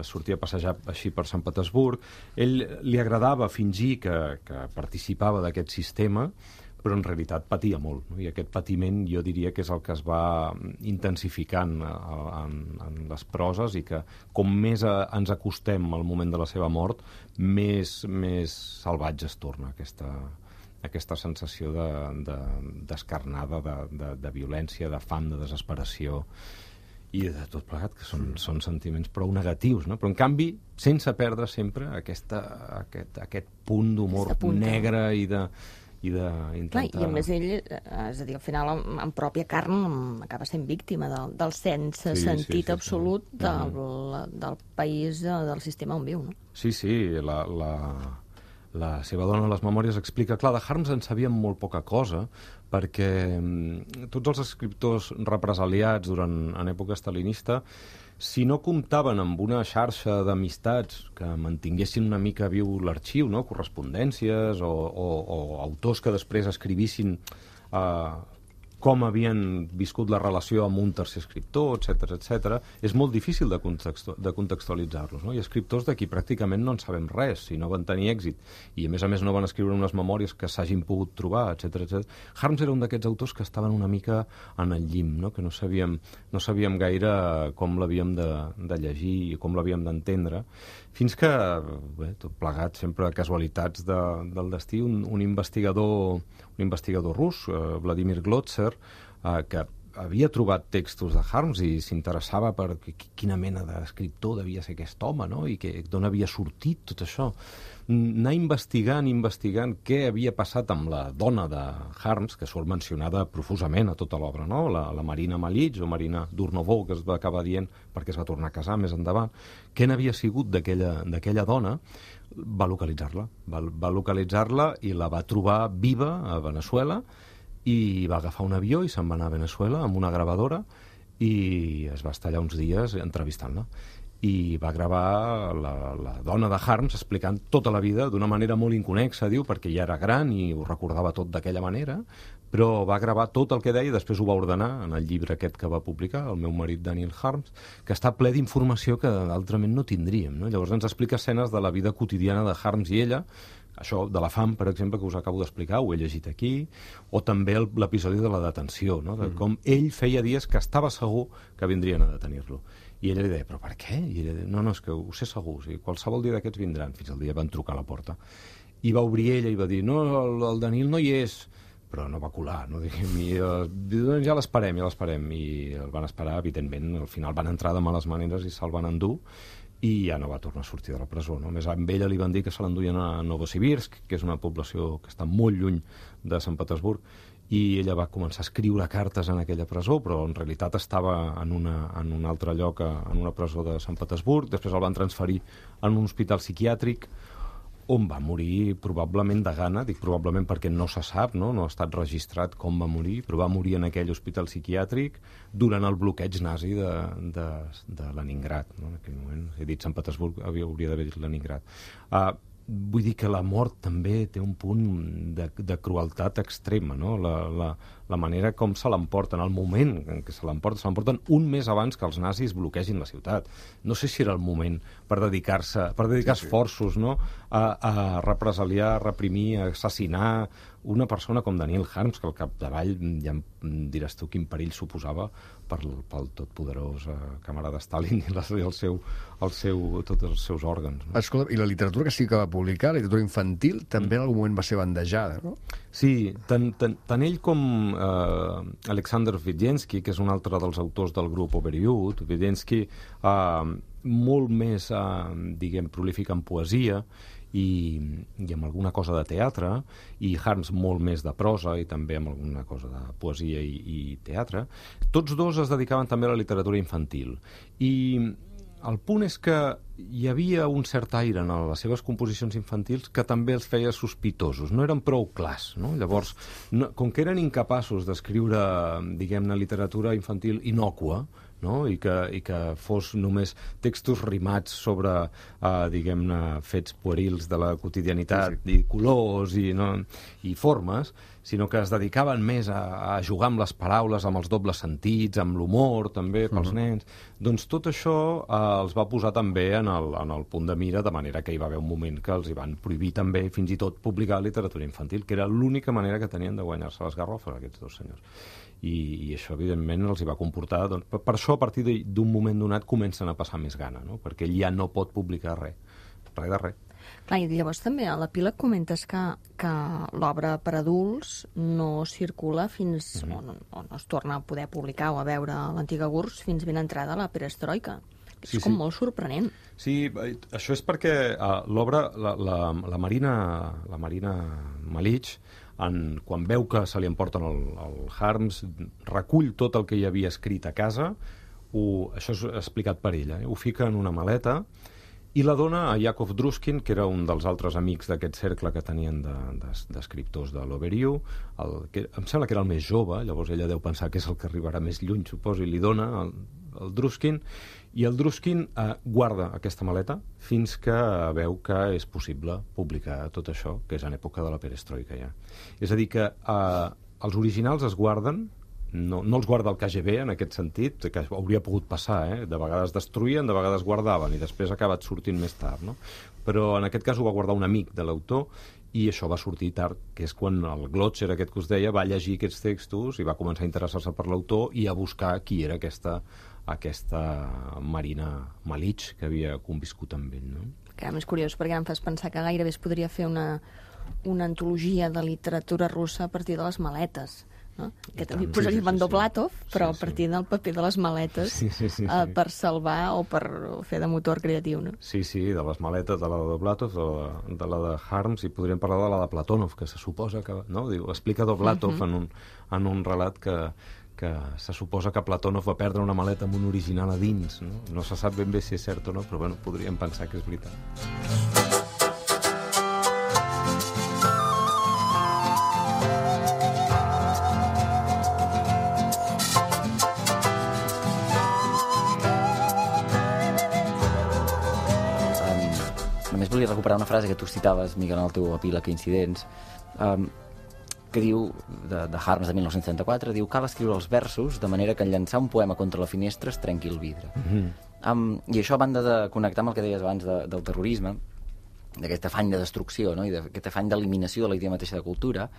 Sortia a passejar així per Sant Petersburg. Ell li agradava fingir que, que participava d'aquest sistema, però en realitat patia molt, no? I aquest patiment jo diria que és el que es va intensificant en, en les proses, i que com més a, ens acostem al moment de la seva mort, més, més salvatge es torna aquesta, aquesta sensació de, de, d'escarnada, de, de, de violència, de fam, de desesperació, i de tot plegat, que són, són sentiments prou negatius, no? Però en canvi, sense perdre sempre aquesta, aquest, aquest punt d'humor negre i de... i d'intentar... Clar, i a més ell, és a dir, al final, en, en pròpia carn, acaba sent víctima del, del sense sí, sentit sí, sí, absolut sí. Del, del país, del sistema on viu, no? Sí, sí, la, la, la seva dona a les memòries explica, clar, de Harms en sabíem molt poca cosa, perquè mm, tots els escriptors represaliats durant, en època stalinista, si no comptaven amb una xarxa d'amistats que mantinguessin una mica viu l'arxiu, no? Correspondències o, o, o autors que després escrivissin eh, com havien viscut la relació amb un tercer escriptor, etcètera, etcètera, és molt difícil de, contextu de contextualitzar-los, no? I escriptors d'aquí pràcticament no en sabem res, si no van tenir èxit, i a més a més no van escriure unes memòries que s'hagin pogut trobar, etcètera, etcètera. Harms era un d'aquests autors que estaven una mica en el llim, no? Que no sabíem, no sabíem gaire com l'havíem de, de llegir i com l'havíem d'entendre, fins que, bé, tot plegat, sempre casualitats de, del destí, un, un investigador un investigador rus, eh, Vladimir Glotzer, eh, que havia trobat textos de Harms i s'interessava per quina mena d'escriptor devia ser aquest home, no? I que, d'on havia sortit tot això. Anar investigant, investigant què havia passat amb la dona de Harms, que surt mencionada profusament a tota l'obra, no? La, la Marina Malitx, o Marina Durnovo, que es va acabar dient perquè es va tornar a casar més endavant. Què n'havia sigut d'aquella dona? Va localitzar-la. Va, va localitzar-la i la va trobar viva a Veneçuela, i va agafar un avió i se'n va anar a Veneçuela amb una gravadora i es va estar allà uns dies entrevistant-la. I va gravar la, la dona de Harms explicant tota la vida d'una manera molt inconexa, diu, perquè ja era gran i ho recordava tot d'aquella manera, però va gravar tot el que deia i després ho va ordenar en el llibre aquest que va publicar, El meu marit Daniel Harms, que està ple d'informació que altrament no tindríem, no? Llavors ens explica escenes de la vida quotidiana de Harms i ella, això de la fam, per exemple, que us acabo d'explicar, ho he llegit aquí, o també l'episodi de la detenció, no? De com ell feia dies que estava segur que vindrien a detenir-lo. I ella li deia, però per què? I ella deia, no, no, és que ho sé segur, o sigui, qualsevol dia d'aquests vindran. Fins al dia van trucar a la porta. I va obrir ella i va dir, no, el, el Daniel no hi és, però no va colar, no? I, uh, ja l'esperem, ja l'esperem. I el van esperar, evidentment, al final van entrar de males maneres i se'l van endur, i ja no va tornar a sortir de la presó, no? A més, amb ella li van dir que se l'enduien a Novosibirsk, que és una població que està molt lluny de Sant Petersburg, i ella va començar a escriure cartes en aquella presó, però en realitat estava en, una, en un altre lloc, en una presó de Sant Petersburg. Després el van transferir en un hospital psiquiàtric, on va morir probablement de gana, dic probablement perquè no se sap, no, no ha estat registrat com va morir, però va morir en aquell hospital psiquiàtric durant el bloqueig nazi de, de, de Leningrad, no? En aquell moment, he dit Sant Petersburg, havia, hauria d'haver dit Leningrad. Uh, vull dir que la mort també té un punt de, de crueltat extrema, no? La, la, la manera com se l'emporten, el moment en què se l'emporten, se l'emporten un mes abans que els nazis bloquegin la ciutat. No sé si era el moment per dedicar-se, per dedicar sí, sí. esforços, no? a, a represaliar, a reprimir, a assassinar una persona com Daniel Harms, que al capdavall ja em diràs tu quin perill suposava per, pel totpoderós eh, camarada Stalin i, les, i el seu, el seu, tots els seus òrgans. No? Escolta, i la literatura que sí que va publicar, la literatura infantil, també en algun moment va ser bandejada, no? Sí, tant, tant, tant ell com eh, Alexander Vidensky, que és un altre dels autors del grup Overyud, Vidensky eh, molt més, eh, diguem, prolífic en poesia, i, i amb alguna cosa de teatre, i Harms molt més de prosa i també amb alguna cosa de poesia i, i teatre. Tots dos es dedicaven també a la literatura infantil. I el punt és que hi havia un cert aire en les seves composicions infantils que també els feia sospitosos, no eren prou clars, no? Llavors, no, com que eren incapaços d'escriure, diguem-ne, literatura infantil innòcua, no? I, que, i que fos només textos rimats sobre, uh, diguem-ne, fets puerils de la quotidianitat, sí, sí. i colors i, no, i formes, sinó que es dedicaven més a, a jugar amb les paraules, amb els dobles sentits, amb l'humor, també, pels uh-huh. nens. Doncs tot això uh, els va posar també en el, en el punt de mira, de manera que hi va haver un moment que els hi van prohibir també, fins i tot, publicar literatura infantil, que era l'única manera que tenien de guanyar-se les garrofes, aquests dos senyors. I, i això, evidentment, els hi va comportar... Doncs, per, per això, a partir d'un moment donat, comencen a passar més gana, no? Perquè ell ja no pot publicar res, res de res. Clar, i llavors també a l'epíleg comentes que, que l'obra per adults no circula fins... Mm-hmm. o, no, o no es torna a poder publicar o a veure l'antiga U R S S fins ben entrada la perestroika. És sí, com sí. molt sorprenent. Sí, això és perquè uh, l'obra, la, la, la Marina, la Marina Malitx, en, quan veu que se li emporten el, el Harms, recull tot el que hi havia escrit a casa, ho, això és explicat per ella, eh? Ho fica en una maleta i la dona a Yakov Druskin, que era un dels altres amics d'aquest cercle que tenien d'escriptors de, de, de l'Overiu, que em sembla que era el més jove, llavors ella deu pensar que és el que arribarà més lluny, suposo, i li dona el, el Druskin, i el Druskin eh, guarda aquesta maleta fins que veu que és possible publicar tot això, que és en època de la perestroika ja. És a dir, que eh, els originals es guarden. No, no els guarda el K G B en aquest sentit, que hauria pogut passar, eh? De vegades destruïen, de vegades guardaven, i després ha acabat sortint més tard, no? Però en aquest cas ho va guardar un amic de l'autor, i això va sortir tard, que és quan el Glotzer, aquest que us deia, va llegir aquests textos i va començar a interessar-se per l'autor i a buscar qui era aquesta, aquesta Marina Malich que havia conviscut amb ell, no? Que és curiós, perquè em fas pensar que gairebé es podria fer una, una antologia de literatura russa a partir de les maletes, no? Que també posaríem en Doblatov, però a partir del paper de les maletes sí, sí, sí, sí. Uh, per salvar o per fer de motor creatiu, no? Sí, sí, de les maletes, de la de Doblatov, de la, de la de Harms, i podríem parlar de la de Platonov, que se suposa que, no? Diu, explica Doblatov uh-huh. en, un, en un relat que, que se suposa que Platonov va perdre una maleta amb un original a dins, no? No se sap ben bé si és cert o no, però bueno, podríem pensar que és veritat. Volia recuperar una frase que tu citaves, Miquel, en el teu epíleg Incidents, um, que diu, de, de Harms de mil nou-cents trenta-quatre, diu: cal escriure els versos de manera que en llançar un poema contra la finestra es trenqui el vidre. Mm-hmm. um, I això, a banda de connectar amb el que deies abans de, del terrorisme, d'aquest afany de destrucció, no? I d'aquest afany d'eliminació de la idea mateixa de cultura,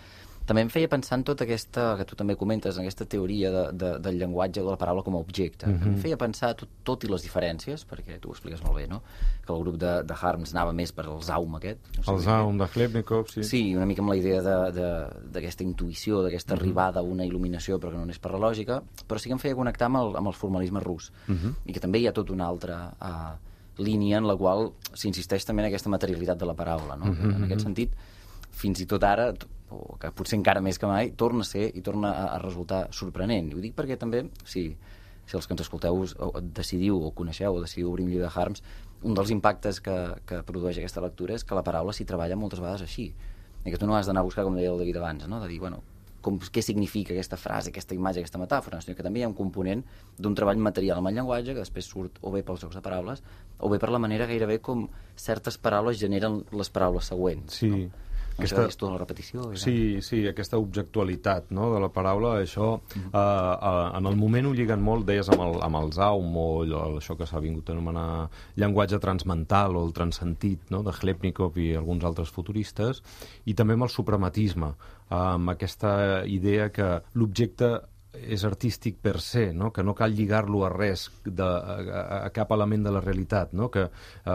també em feia pensar en tota aquesta, que tu també comentes, en aquesta teoria de, de, del llenguatge de la paraula com a objecte. Mm-hmm. Em feia pensar, tot, tot i les diferències, perquè tu ho expliques molt bé, no? Que el grup de, de Harms anava més per el Zaum aquest. No sé el Zaum de Khlebnikov, sí. Sí, una mica amb la idea d'aquesta intuïció, d'aquesta mm-hmm. arribada a una il·luminació, però que no és per la lògica, però sí que em feia connectar amb el, amb el formalisme rus. Mm-hmm. I que també hi ha tota una altra uh, línia en la qual s'insisteix també en aquesta materialitat de la paraula, no? Mm-hmm. En aquest sentit, fins i tot ara, o que potser encara més que mai, torna a ser i torna a, a resultar sorprenent. I ho dic perquè també, si, si els que ens escolteu o, decidiu o coneixeu o decidiu obrir un llibre de Harms, un dels impactes que, que produeix aquesta lectura és que la paraula s'hi treballa moltes vegades així. I que tu no has d'anar a buscar, com deia el David abans, no? De dir, bueno, com, què significa aquesta frase, aquesta imatge, aquesta metàfora, sinó que també hi ha un component d'un treball material amb el llenguatge que després surt o bé pels jocs de paraules o bé per la manera gairebé com certes paraules generen les paraules següents. Sí. No? Aquesta, és tota la repetició. Era... Sí, sí, aquesta objectualitat, no?, de la paraula, això, mm-hmm. eh, eh, en el moment ho lliguen molt, deies, amb el, amb el Zaum, o això que s'ha vingut a anomenar llenguatge transmental o el transsentit, no?, de Khlebnikov i alguns altres futuristes, i també amb el suprematisme, eh, amb aquesta idea que l'objecte és artístic per se, no? Que no cal lligar-lo a res, de, a, a cap element de la realitat, no? Que eh,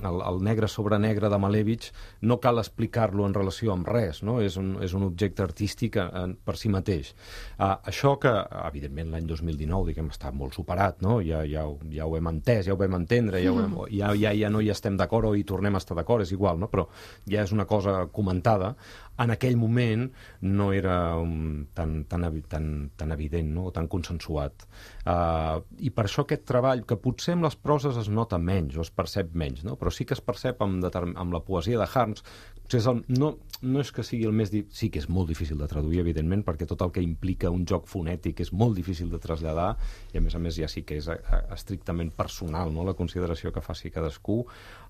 el, el negre sobre negre de Malevich no cal explicar-lo en relació amb res, no? És un, és un objecte artístic en, per si mateix. Uh, això que, evidentment, l'any dos mil dinou, diguem, està molt superat, no? Ja, ja, ja ho hem entès, ja ho vam entendre, ja, ho hem, ja, ja, ja no hi estem d'acord o hi tornem a estar d'acord, és igual, no? Però ja és una cosa comentada. En aquell moment no era um, tan, tan, tan, tan evident, no? Tan consensuat. Uh, I per això aquest treball, que potser amb les proses es nota menys o es percep menys, no? Però sí que es percep amb, amb la poesia de Harms. Potser és el, no, no és que sigui el més... Di... Sí que és molt difícil de traduir, evidentment, perquè tot el que implica un joc fonètic és molt difícil de traslladar, i a més a més ja sí que és a, a, estrictament personal, no?, la consideració que faci cadascú.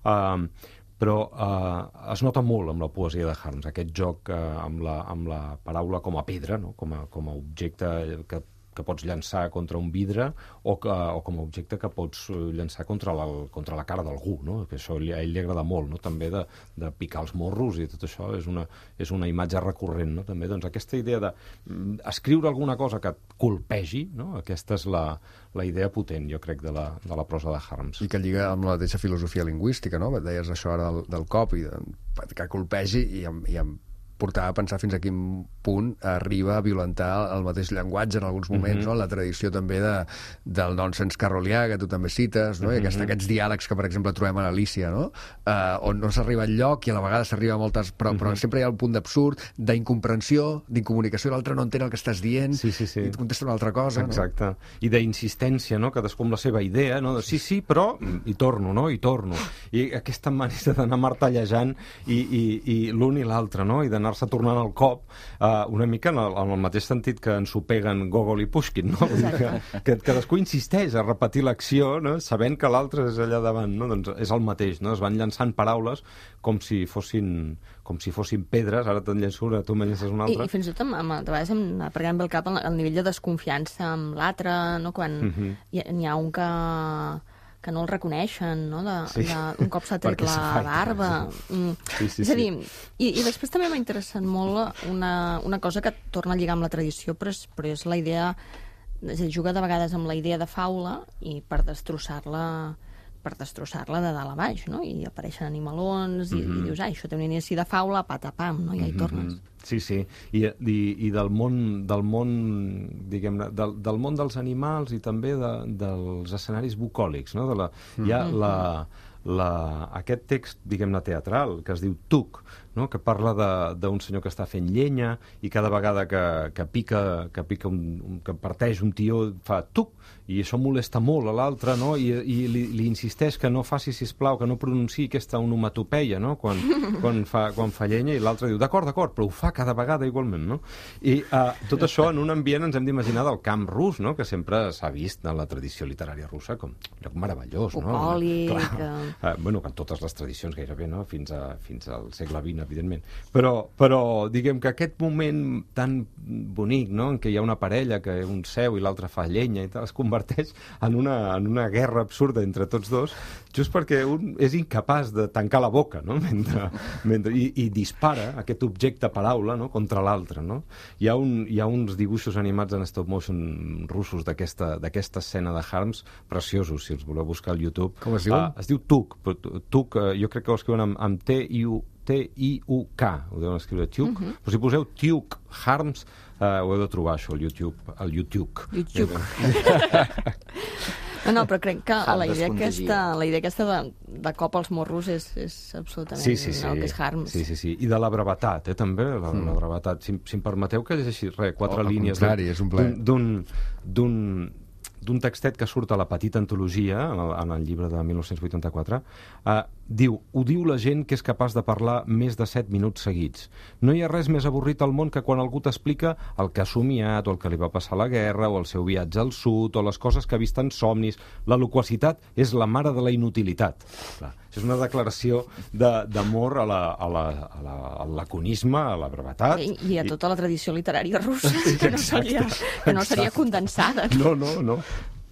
Uh, però eh, es nota molt amb la poesia de Harms, aquest joc eh, amb, la, amb la paraula com a pedra, no? com, a, com a objecte que, que pots llançar contra un vidre o, que, o com a objecte que pots llançar contra la, contra la cara d'algú, no? Que això a ell li agrada molt, no? També de, de picar els morros i tot això és una, és una imatge recurrent, no? També, doncs, aquesta idea d'escriure de alguna cosa que et colpegi, no? Aquesta és la, la idea potent, jo crec, de la, de la prosa de Harms. I que lliga amb la mateixa filosofia lingüística, no? Deies això ara del, del cop, i de, que colpegi i amb, i amb portar a pensar fins a quin punt arriba a violentar el mateix llenguatge en alguns moments, mm-hmm. no? La tradició també de, del nonsense carrolià, que tu també cites, no? I aquest, aquests diàlegs que, per exemple, trobem a l'Alícia, no? Uh, on no s'arriba enlloc i a la vegada s'arriba a moltes... Però, mm-hmm. però sempre hi ha el punt d'absurd, d'incomprensió, d'incomunicació, l'altre no entén el que estàs dient, sí, sí, sí. i et contesta una altra cosa. Exacte. No? I d'insistència, no? Cadascú amb la seva idea, no? De, sí, sí, però... I torno, no? I torno. I aquesta manera d'anar martellejant i, i, i l'un i l'altre, no? I d'anar-se tornant al cop, uh, una mica en el, en el mateix sentit que ens ho peguen Gogol i Pushkin, no? Vull dir que, que cadascú insisteix a repetir l'acció, no? Sabent que l'altre és allà davant, no? Doncs és el mateix, no? Es van llançant paraules com si fossin, com si fossin pedres, ara te'n llenço una, tu me'n llences una altra. I, i fins i tot, amb, amb, de vegades, em aparegant bé el cap el, el nivell de desconfiança amb l'altre, no? Quan uh-huh. hi, hi ha un que... que no el reconeixen, no? De, sí. de, un cop s'ha tret la barba. Mm. Sí, sí, és a dir, sí. i, i després també m'ha interessat molt una, una cosa que torna a lligar amb la tradició, però és, però és la idea, és a dir, juga de vegades amb la idea de faula i per destrossar-la per destrossar-la de dalt a baix, no? I apareixen animalons i, mm-hmm. i dius, ah, això té un inici de faula, patapam, no? I ja hi tornes. Mm-hmm. Sí, sí, I, i, i del món, del món, diguem-ne, del, del món dels animals i també de, dels escenaris bucòlics, no? De la, mm-hmm. Hi ha la, la, aquest text, diguem-ne, teatral, que es diu Tuc, no? Que parla d'un senyor que està fent llenya i cada vegada que, que pica, que, pica un, un, que parteix un tió fa Tuc, i això molesta molt a l'altre, no? I, i li, li insisteix que no faci, sisplau, que no pronunciï aquesta onomatopeia, no? Quan, quan, fa, quan fa llenya, i l'altre diu, d'acord, d'acord, però ho fa cada vegada igualment, no? I uh, tot això en un ambient ens hem d'imaginar del camp rus, no? Que sempre s'ha vist en la tradició literària russa com un lloc meravellós, no? Bucòlic. Uh, bueno, que en totes les tradicions gairebé, no? Fins, a, fins al segle vint, evidentment. Però, però diguem que aquest moment tan bonic, no? En què hi ha una parella que un seu i l'altre fa llenya i tal, es converteix en una, en una guerra absurda entre tots dos, just perquè un és incapaç de tancar la boca, no? Mentre, mentre, i, i dispara aquest objecte paraula, no? Contra l'altre, no? Hi ha, un, hi ha uns dibuixos animats en stop motion russos d'aquesta escena de Harms preciosos, si els voleu buscar al YouTube. Com es diuen? Uh, es diu Tuk. Tuk, uh, jo crec que ho escriuen amb, amb T I U T I U K, ho deuen escriure Tuk, uh-huh. Però si poseu Tuk Harms, uh, ho heu de trobar, això, al YouTube. Al YouTube. YouTube. No, no, però crec que la idea aquesta, la idea aquesta de, de cop als morros és, és absolutament sí, sí, sí. el que és Harms. Sí, sí, sí. I de la brevetat, eh, també, la, mm. la brevetat. Si, si em permeteu que llegeixi, res, quatre oh, línies d'un d'un textet que surt a la petita antologia, en el, en el llibre de mil nou-cents vuitanta-quatre, eh, diu, ho diu la gent que és capaç de parlar més de set minuts seguits. No hi ha res més avorrit al món que quan algú t'explica el que ha somiat, o el que li va passar a la guerra, o el seu viatge al sud, o les coses que ha vist en somnis. La loquacitat és la mare de la inutilitat. Clar, és una declaració d'amor a la, a la, a la, al laconisme, a la brevetat. I, i a tota la tradició literària russa, que no seria, que no seria condensada. No, no, no.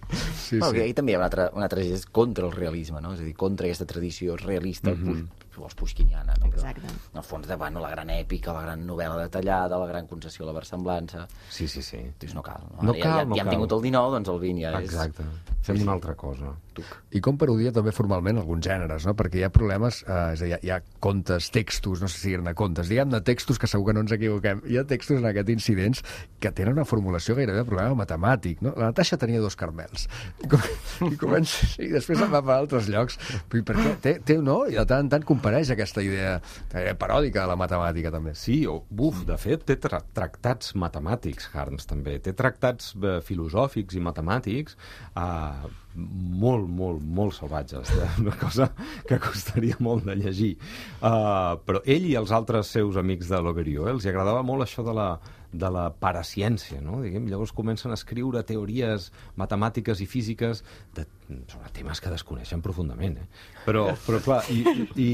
Sí, bueno, sí. Ahí també hi ha una altra, una altra és contra el realisme, no? És a dir, contra aquesta tradició realista, mm-hmm. si vols, pushkiniana, no? Exacte. Però, en el fons, de, bueno, la gran èpica, la gran novel·la detallada, la gran concessió a la versemblança... Sí, sí, sí. Doncs no cal. No, no ja, cal, ja, no ja hem cal. tingut el dinou, doncs el vint ja és... Exacte. Fem sí, una altra cosa. Tuc. I com parodia també formalment alguns gèneres, no? Perquè hi ha problemes, eh, és a dir, hi ha contes, textos, no sé si eren contes, diguem-ne textos que segur que no ens equivoquem. Hi ha textos en aquest incidents que tenen una formulació gairebé de problema matemàtic, no? La Natasha tenia dos carmels. I, com, i, comença, i després se'n va per altres llocs. Però per què? Té, té, no? I de tant en tant compareix aquesta idea eh, paròdica de la matemàtica, també. Sí, o, buf, de fet, té tra tractats matemàtics, Harms, també. Té tractats eh, filosòfics i matemàtics eh, molt, molt, molt salvatges. Una cosa que costaria molt de llegir. Uh, però ell i els altres seus amics de l'Oberio, eh, els agradava molt això de la, de la paraciència, no? Diguem, llavors comencen a escriure teories matemàtiques i físiques de, sobre temes que desconeixen profundament, eh? Però, però clar, i, i,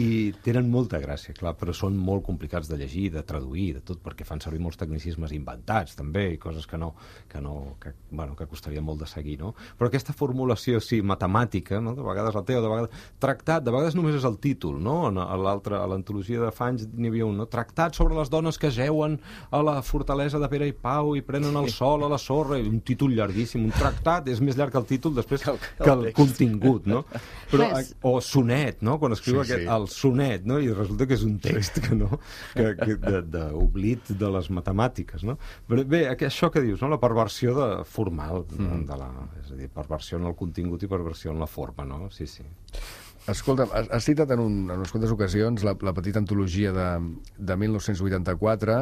i tenen molta gràcia, clar, però són molt complicats de llegir, de traduir, de tot, perquè fan servir molts tecnicismes inventats, també, i coses que no, que no, que, bueno, que costaria molt de seguir, no? Però aquesta formulació, sí, matemàtica, no? De vegades la té, o de vegades tractat, de vegades només és el títol, no? A l'altra, a l'antologia de Fanys n'hi havia un, no? Tractat sobre les dones que jeuen a la fortalesa de Pere i Pau i prenen el sol a la sorra, i un títol llarguíssim, un tractat, és més llarg que el títol després que el, que el contingut, no? Però, o sonet, no? Quan escriu sí, aquest, sí. el sonet, no? I resulta que és un text que no, que, que d'oblit de, de les matemàtiques, no? Però bé, això que dius, no? La perversió de, formal, mm. de la, és a dir, perversió en el contingut i perversió en la forma, no? Sí, sí. Escolta, has, has citat en, un, en unes quantes ocasions la, la petita antologia de, de mil nou-cents vuitanta-quatre.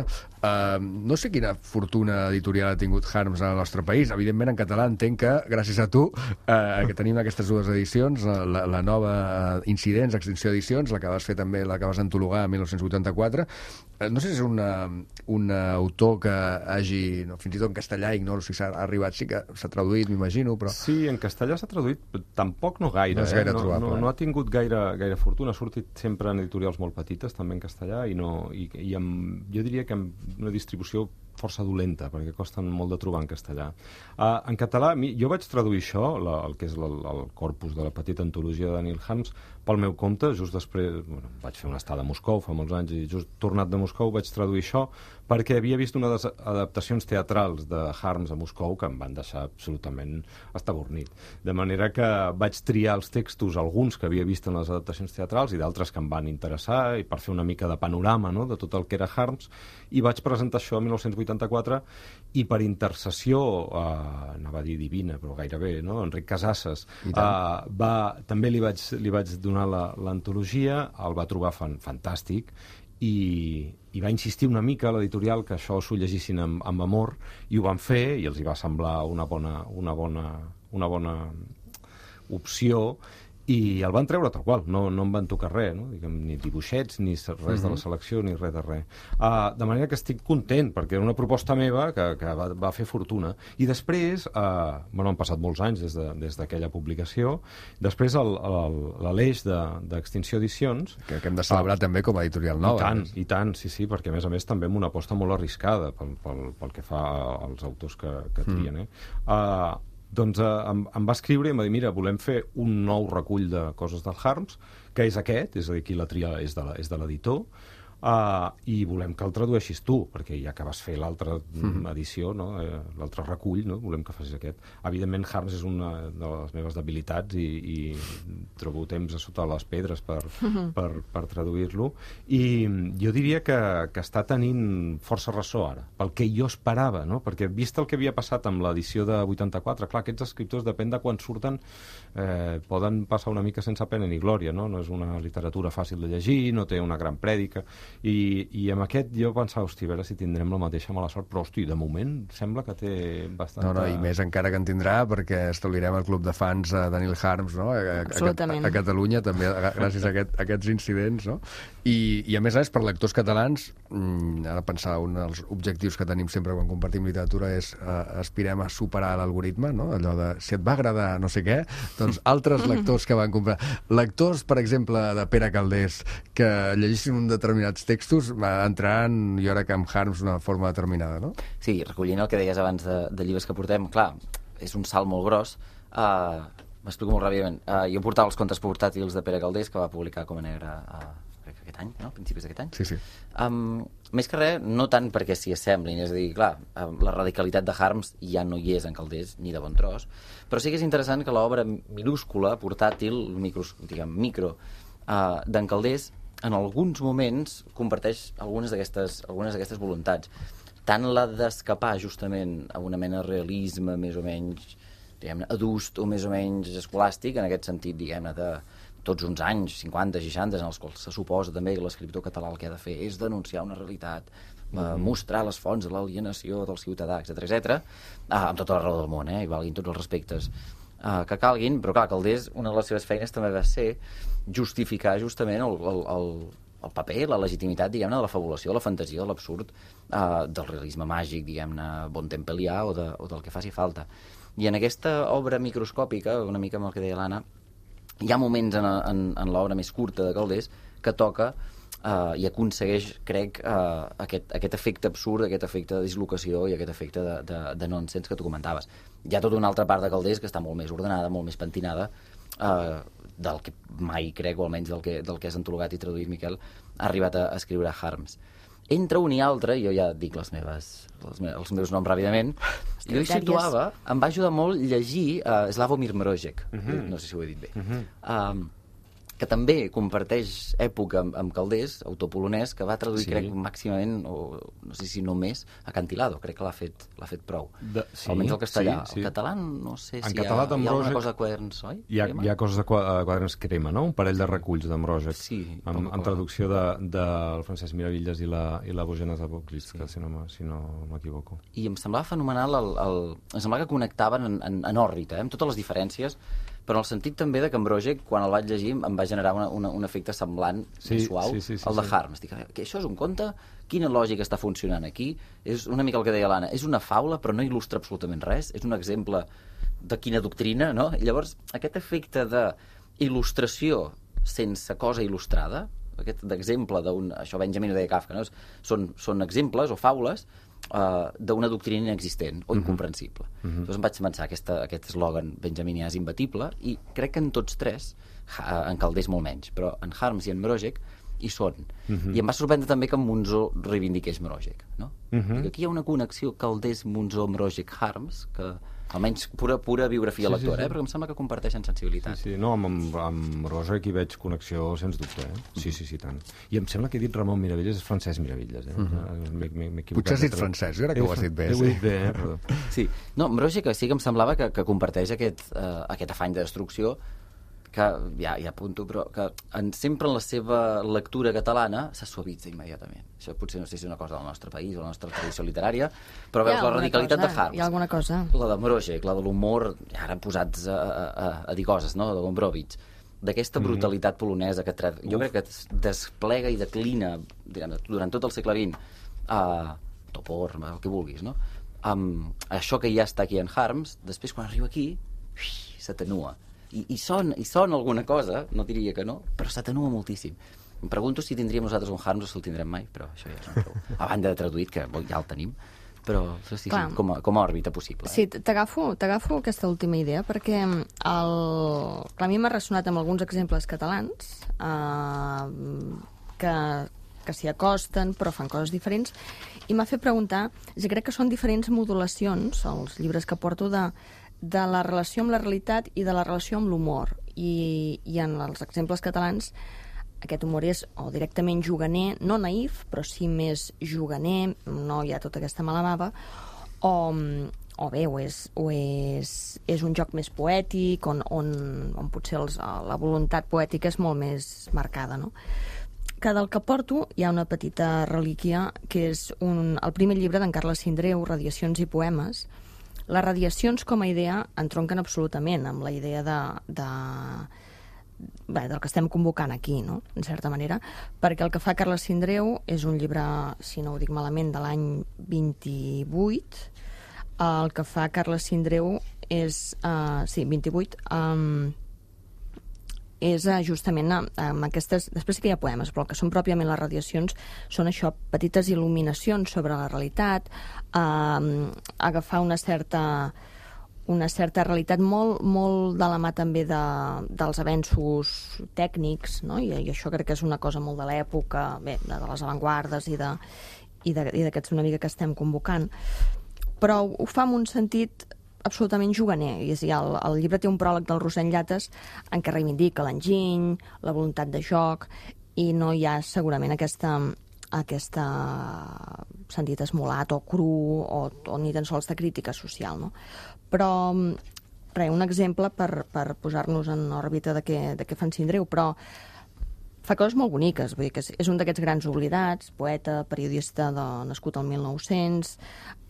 Uh, no sé quina fortuna editorial ha tingut Harms al nostre país. Evidentment, en català entenc que, gràcies a tu, uh, que tenim aquestes dues edicions, la, la nova Incidents, Extinció Edicions, la que vas fer també, la que vas antologar en mil nou-cents vuitanta-quatre. Uh, no sé si és una, un autor que hagi, no, fins i tot en castellà, ignoro si s'ha arribat, sí que s'ha traduït, m'imagino, però... Sí, en castellà s'ha traduït, tampoc no gaire. No és gaire eh? no, trobable. No, no ha tingut gaire, gaire fortuna, ha sortit sempre en editorials molt petites, també en castellà, i, no, i, i amb, jo diria que amb una distribució força dolenta, perquè costen molt de trobar en castellà. Uh, en català, mi, jo vaig traduir això, la, el que és el, el corpus de la petita antologia de Daniel Harms, pel meu compte, just després, bueno, vaig fer una estada a Moscou fa molts anys, i just tornat de Moscou vaig traduir això, perquè havia vist unes adaptacions teatrals de Harms a Moscou que em van deixar absolutament estabornit. De manera que vaig triar els textos, alguns que havia vist en les adaptacions teatrals i d'altres que em van interessar, i per fer una mica de panorama, no?, de tot el que era Harms, i vaig presentar això a mil nou-cents vuitanta-quatre, i per intercessió, eh, anava a dir divina, però gairebé, no?, Enric Casasses, eh, va, també li vaig, li vaig donar l'antologia, el va trobar fan, fantàstic, i, i va insistir una mica a l'editorial que això s'ho llegissin amb, amb amor, i ho van fer, i els hi va semblar una bona, una bona, una bona opció, i el van treure tal qual, no, no en van tocar res, no? Diguem, ni dibuixets, ni res uh-huh. de la selecció, ni res de res. Uh, de manera que estic content, perquè era una proposta meva que, que va, va fer fortuna. I després, uh, bueno, han passat molts anys des, de, des d'aquella publicació, després l'Aleix d'Extinció Edicions... Que, que hem de celebrar uh, també com a editorial nova. I tant, i tant, sí, sí, perquè a més a més també amb una aposta molt arriscada pel, pel, pel que fa als autors que, que trien, eh? Uh, doncs eh, em, em va escriure i em va dir, mira, volem fer un nou recull de coses del Harms, que és aquest, és a dir, aquí la tria és de l'editor, uh, i volem que el tradueixis tu, perquè ja que vas fer l'altra mm-hmm. edició, no? eh, l'altre recull, no? Volem que facis aquest. Evidentment, Harms és una de les meves debilitats i, i trobo temps a sota les pedres per, mm-hmm. per, per traduir-lo, i jo diria que, que està tenint força ressò ara, pel que jo esperava, no? Perquè vist el que havia passat amb l'edició de vuitanta-quatre, clar, aquests escriptors, depèn de quan surten, eh, poden passar una mica sense pena ni glòria, no? No és una literatura fàcil de llegir, no té una gran prèdica, i, i amb aquest jo pensava, hosti, a veure si tindrem la mateixa mala sort, però hosti, de moment sembla que té bastant... No, no, i més encara que en tindrà, perquè establirem el club de fans a Daniel Harms, no? A, a, a, a Catalunya, també gràcies a, aquest, a aquests incidents, no? I, i a més a més, per lectors catalans, mmm, ara pensar, un dels objectius que tenim sempre quan compartim literatura és eh, aspirem a superar l'algoritme, no? Allò de, si et va agradar no sé què, doncs altres lectors que van comprar. Lectors, per exemple, de Pere Calders, que llegissin un determinats textos, entraran, jo crec que amb Harms d'una forma determinada, no? Sí, recollint el que deies abans de, de llibres que portem, clar, és un salt molt gros. Uh, M'explico molt ràpidament. Uh, jo portava els contes portàtils de Pere Calders, que va publicar Com a Negre uh, aquest any, no? A principis d'aquest any. Sí, sí. Um, més que res, no tant perquè s'hi assemblin, és a dir, clar, la radicalitat de Harms ja no hi és en Calders, ni de bon tros, però sí que és interessant que l'obra minúscula, portàtil, micro, diguem, micro, uh, d'en Calders, en alguns moments comparteix algunes d'aquestes algunes d'aquestes voluntats. Tant la d'escapar justament a una mena de realisme més o menys, diguem-ne, adust o més o menys escolàstic, en aquest sentit, diguem-ne, de tots uns anys, cinquanta, seixanta, en els quals se suposa també que l'escriptor català el que ha de fer és denunciar una realitat, mm-hmm. mostrar les fonts de l'alienació del ciutadà, etcètera, etcètera, ah, amb tota la raó del món, eh, i valguin tots els respectes ah, que calguin, però clar, Calders, una de les seves feines també va ser justificar justament el, el, el, el paper, la legitimitat, diguem-ne, de la fabulació, de la fantasia, de l'absurd, ah, del realisme màgic, diguem-ne, bontempellià o, de, o del que faci falta. I en aquesta obra microscòpica, una mica amb el que deia l'Anna, hi ha moments en, en, en l'obra més curta de Calders que toca eh, i aconsegueix, crec, eh, aquest, aquest efecte absurd, aquest efecte de dislocació i aquest efecte de, de, de nonsens que tu comentaves. Hi ha tota una altra part de Calders que està molt més ordenada, molt més pentinada, eh, del que mai crec, o almenys del que, del que has antologat i traduït, Miquel, ha arribat a, a escriure Harms. Entre un i altre, jo ja dic les meves, les me, els meus noms ràpidament, jo hi situava, em va ajudar molt llegir uh, Slavomir Mrozek, uh -huh. no sé si ho he dit bé, uh -huh. um, que també comparteix època amb, amb Calders, autor polonès, que va traduir, sí. crec, màximament, o no sé si només, Acantilado, crec que l'ha fet, l'ha fet prou. De, sí, almenys el castellà. Sí, sí. El català, no sé si hi ha, hi ha alguna cosa de quaderns, oi? Hi ha, hi ha coses de quaderns crema, no? Un parell de reculls de Mrozek, sí, amb, amb traducció del de, de Francesc Miravilles i la, i la Bogena Zaboklitska, sí. si no, si no m'equivoco. I em semblava fenomenal, el, el, em semblava que connectaven en, en, en òrbita, eh? Amb totes les diferències, però en el sentit també de que Mrozek, quan el vaig llegir, em va generar una, una, un efecte semblant, sí, més suau, sí, sí, sí, al de sí. Harms. Dic, que això és un conte? Quina lògica està funcionant aquí? És una mica el que deia l'Anna, és una faula, però no il·lustra absolutament res, és un exemple de quina doctrina, no? I llavors, aquest efecte d'il·lustració sense cosa il·lustrada, aquest d'exemple d'un... Això Benjamin ho deia Kafka, no? Són, són exemples o faules Uh, d'una doctrina inexistent o incomprensible. Uh -huh. Llavors em vaig pensar aquesta, aquest eslògan benjaminià és imbatible, i crec que en tots tres, en Calders molt menys, però en Harms i en Mrozek hi són. Uh -huh. I em va sorprendre també que en Monzó reivindiqués Mrozek, no? Uh -huh. Aquí hi ha una connexió Calders, Monzó, Mrozek, Harms, que almenys pura, pura biografia sí, lectora, sí, sí. Eh? Perquè em sembla que comparteixen sensibilitat. Sí, sí. No, amb, amb, amb Mrozek hi veig connexió, sens dubte, eh? Sí, sí, sí, tant. I em sembla que he dit Ramon Miravilles, és Francesc Miravilles, eh? Uh -huh. Potser has dit francès, jo crec que ho has dit bé. Sí. Ho he dit bé, eh? Perdó. Sí. No, Mrozek sí que em semblava que, que comparteix aquest, uh, aquest afany de destrucció, que ja, ja apunto, però que en, sempre en la seva lectura catalana se suavitza immediatament. Això potser no sé si és una cosa del nostre país o la nostra tradició literària, però veus la radicalitat cosa, de Harms. Hi ha alguna cosa. La de Mrozek, la de l'humor, ara posats a, a, a, a dir coses, no?, de Gombrowicz, d'aquesta brutalitat polonesa que tra... jo crec que desplega i declina diguem, durant tot el segle vint, a uh, Topor, el que vulguis, no?, amb això que ja està aquí en Harms, després quan arriba aquí s'atenua. I, i, son, i son alguna cosa, no diria que no, però s'atenua moltíssim. Em pregunto si tindríem nosaltres un Harms o si el tindrem mai, però això ja és un prou. A banda de traduït, que ja el tenim, però sí, sí, com, a, com a òrbita possible. Eh? Sí, t'agafo t'agafo aquesta última idea, perquè el... Clar, a mi m'ha ressonat amb alguns exemples catalans eh, que, que s'hi acosten, però fan coses diferents, i m'ha fet preguntar, jo crec que són diferents modulacions, els llibres que porto, de de la relació amb la realitat i de la relació amb l'humor. I, I en els exemples catalans aquest humor és o directament juganer, no naïf, però sí més juganer, no hi ha tota aquesta mala bava, o, o bé, o és, o és, és un joc més poètic, on, on, on potser els, la voluntat poètica és molt més marcada, no? Que del que porto hi ha una petita relíquia, que és un, el primer llibre d'en Carles Sindreu, Radiacions i poemes. Les radiacions com a idea entronquen absolutament amb la idea de, de, bé, del que estem convocant aquí, no?, en certa manera, perquè el que fa Carles Sindreu és un llibre, si no ho dic malament, de l'any vint-i-vuit. El que fa Carles Sindreu és, uh, sí, vint-i-vuit, um, és uh, justament uh, amb aquestes... Després sí que hi ha poemes, però el que són pròpiament les radiacions són això, petites il·luminacions sobre la realitat, uh, agafar una certa, una certa realitat molt, molt de la mà també de, dels avenços tècnics, no? I, i això crec que és una cosa molt de l'època, bé, de, de les avantguardes i de, i d'aquests una mica que estem convocant. Però ho fa en un sentit absolutament juganer. És a dir, el, el llibre té un pròleg del Rosent Llates en què reivindica l'enginy, la voluntat de joc, i no hi ha segurament aquesta, aquesta sentit esmolat o cru o, o ni tan sols de crítica social, no? Però, res, un exemple per, per posar-nos en òrbita de què, de què fan Sindreu, però fa coses molt boniques, vull dir que és, és un d'aquests grans oblidats, poeta, periodista de, nascut al mil nou-cents,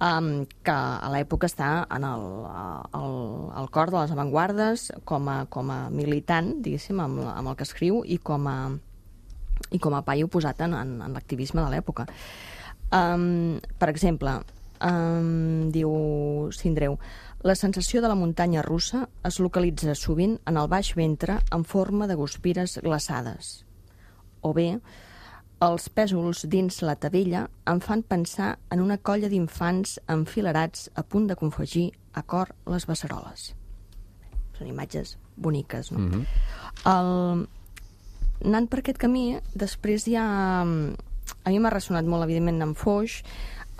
um, que a l'època està en el, el, el cor de les avantguardes com a, com a militant, diguéssim, amb, amb el que escriu, i com a, i com a paio posat en, en, en l'activisme de l'època. Um, per exemple, um, diu Sindreu, la sensació de la muntanya russa es localitza sovint en el baix ventre en forma de guspires glaçades. O bé, els pèsols dins la tavella em fan pensar en una colla d'infants enfilerats a punt de confegir a cor les beceroles. Són imatges boniques, no? Mm-hmm. El... Anant per aquest camí, després hi ha a mi m'ha ressonat molt, evidentment, amb Foix.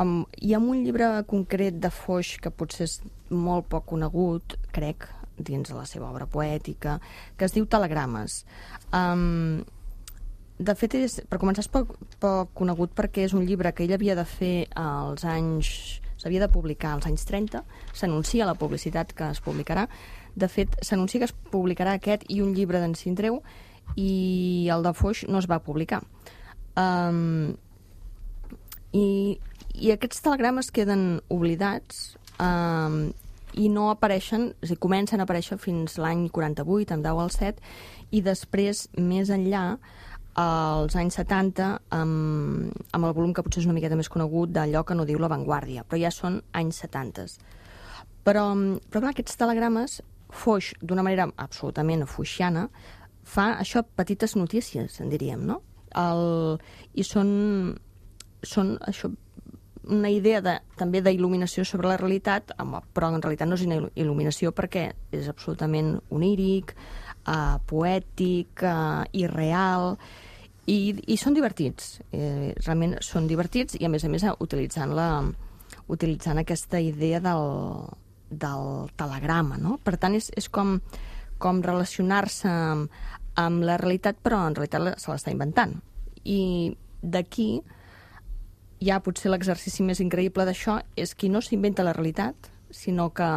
Um, hi ha un llibre concret de Foix que potser és molt poc conegut, crec, dins de la seva obra poètica, que es diu Telegrames. Um, de fet, és, per començar, és poc, poc conegut perquè és un llibre que ell havia de fer als anys... s'havia de publicar als anys trenta, s'anuncia la publicitat que es publicarà. De fet, s'anuncia que es publicarà aquest i un llibre d'en Sindreu, i el de Foix no es va publicar. Um, i, I aquests telegrames queden oblidats um, i no apareixen, és a dir, comencen a aparèixer fins l'any quaranta-vuit, amb Dau al set, i després, més enllà, als anys setanta, amb, amb el volum que potser és una miqueta més conegut d'allò que no diu La Vanguardia, però ja són anys setanta. Però, però clar, aquests telegrames, Foix, d'una manera absolutament foixiana, fa això, petites notícies, en diríem, no? El, I són, són això, una idea de, també d'il·luminació sobre la realitat, però en realitat no és una il·luminació perquè és absolutament oníric, uh, poètic, uh, irreal, i, i són divertits. Eh, realment són divertits i, a més a més, utilitzant, la, utilitzant aquesta idea del, del telegrama, no? Per tant, és, és com, com relacionar-se amb, amb la realitat, però en realitat se l'està inventant. I d'aquí ja potser l'exercici més increïble d'això és qui no s'inventa la realitat, sinó que...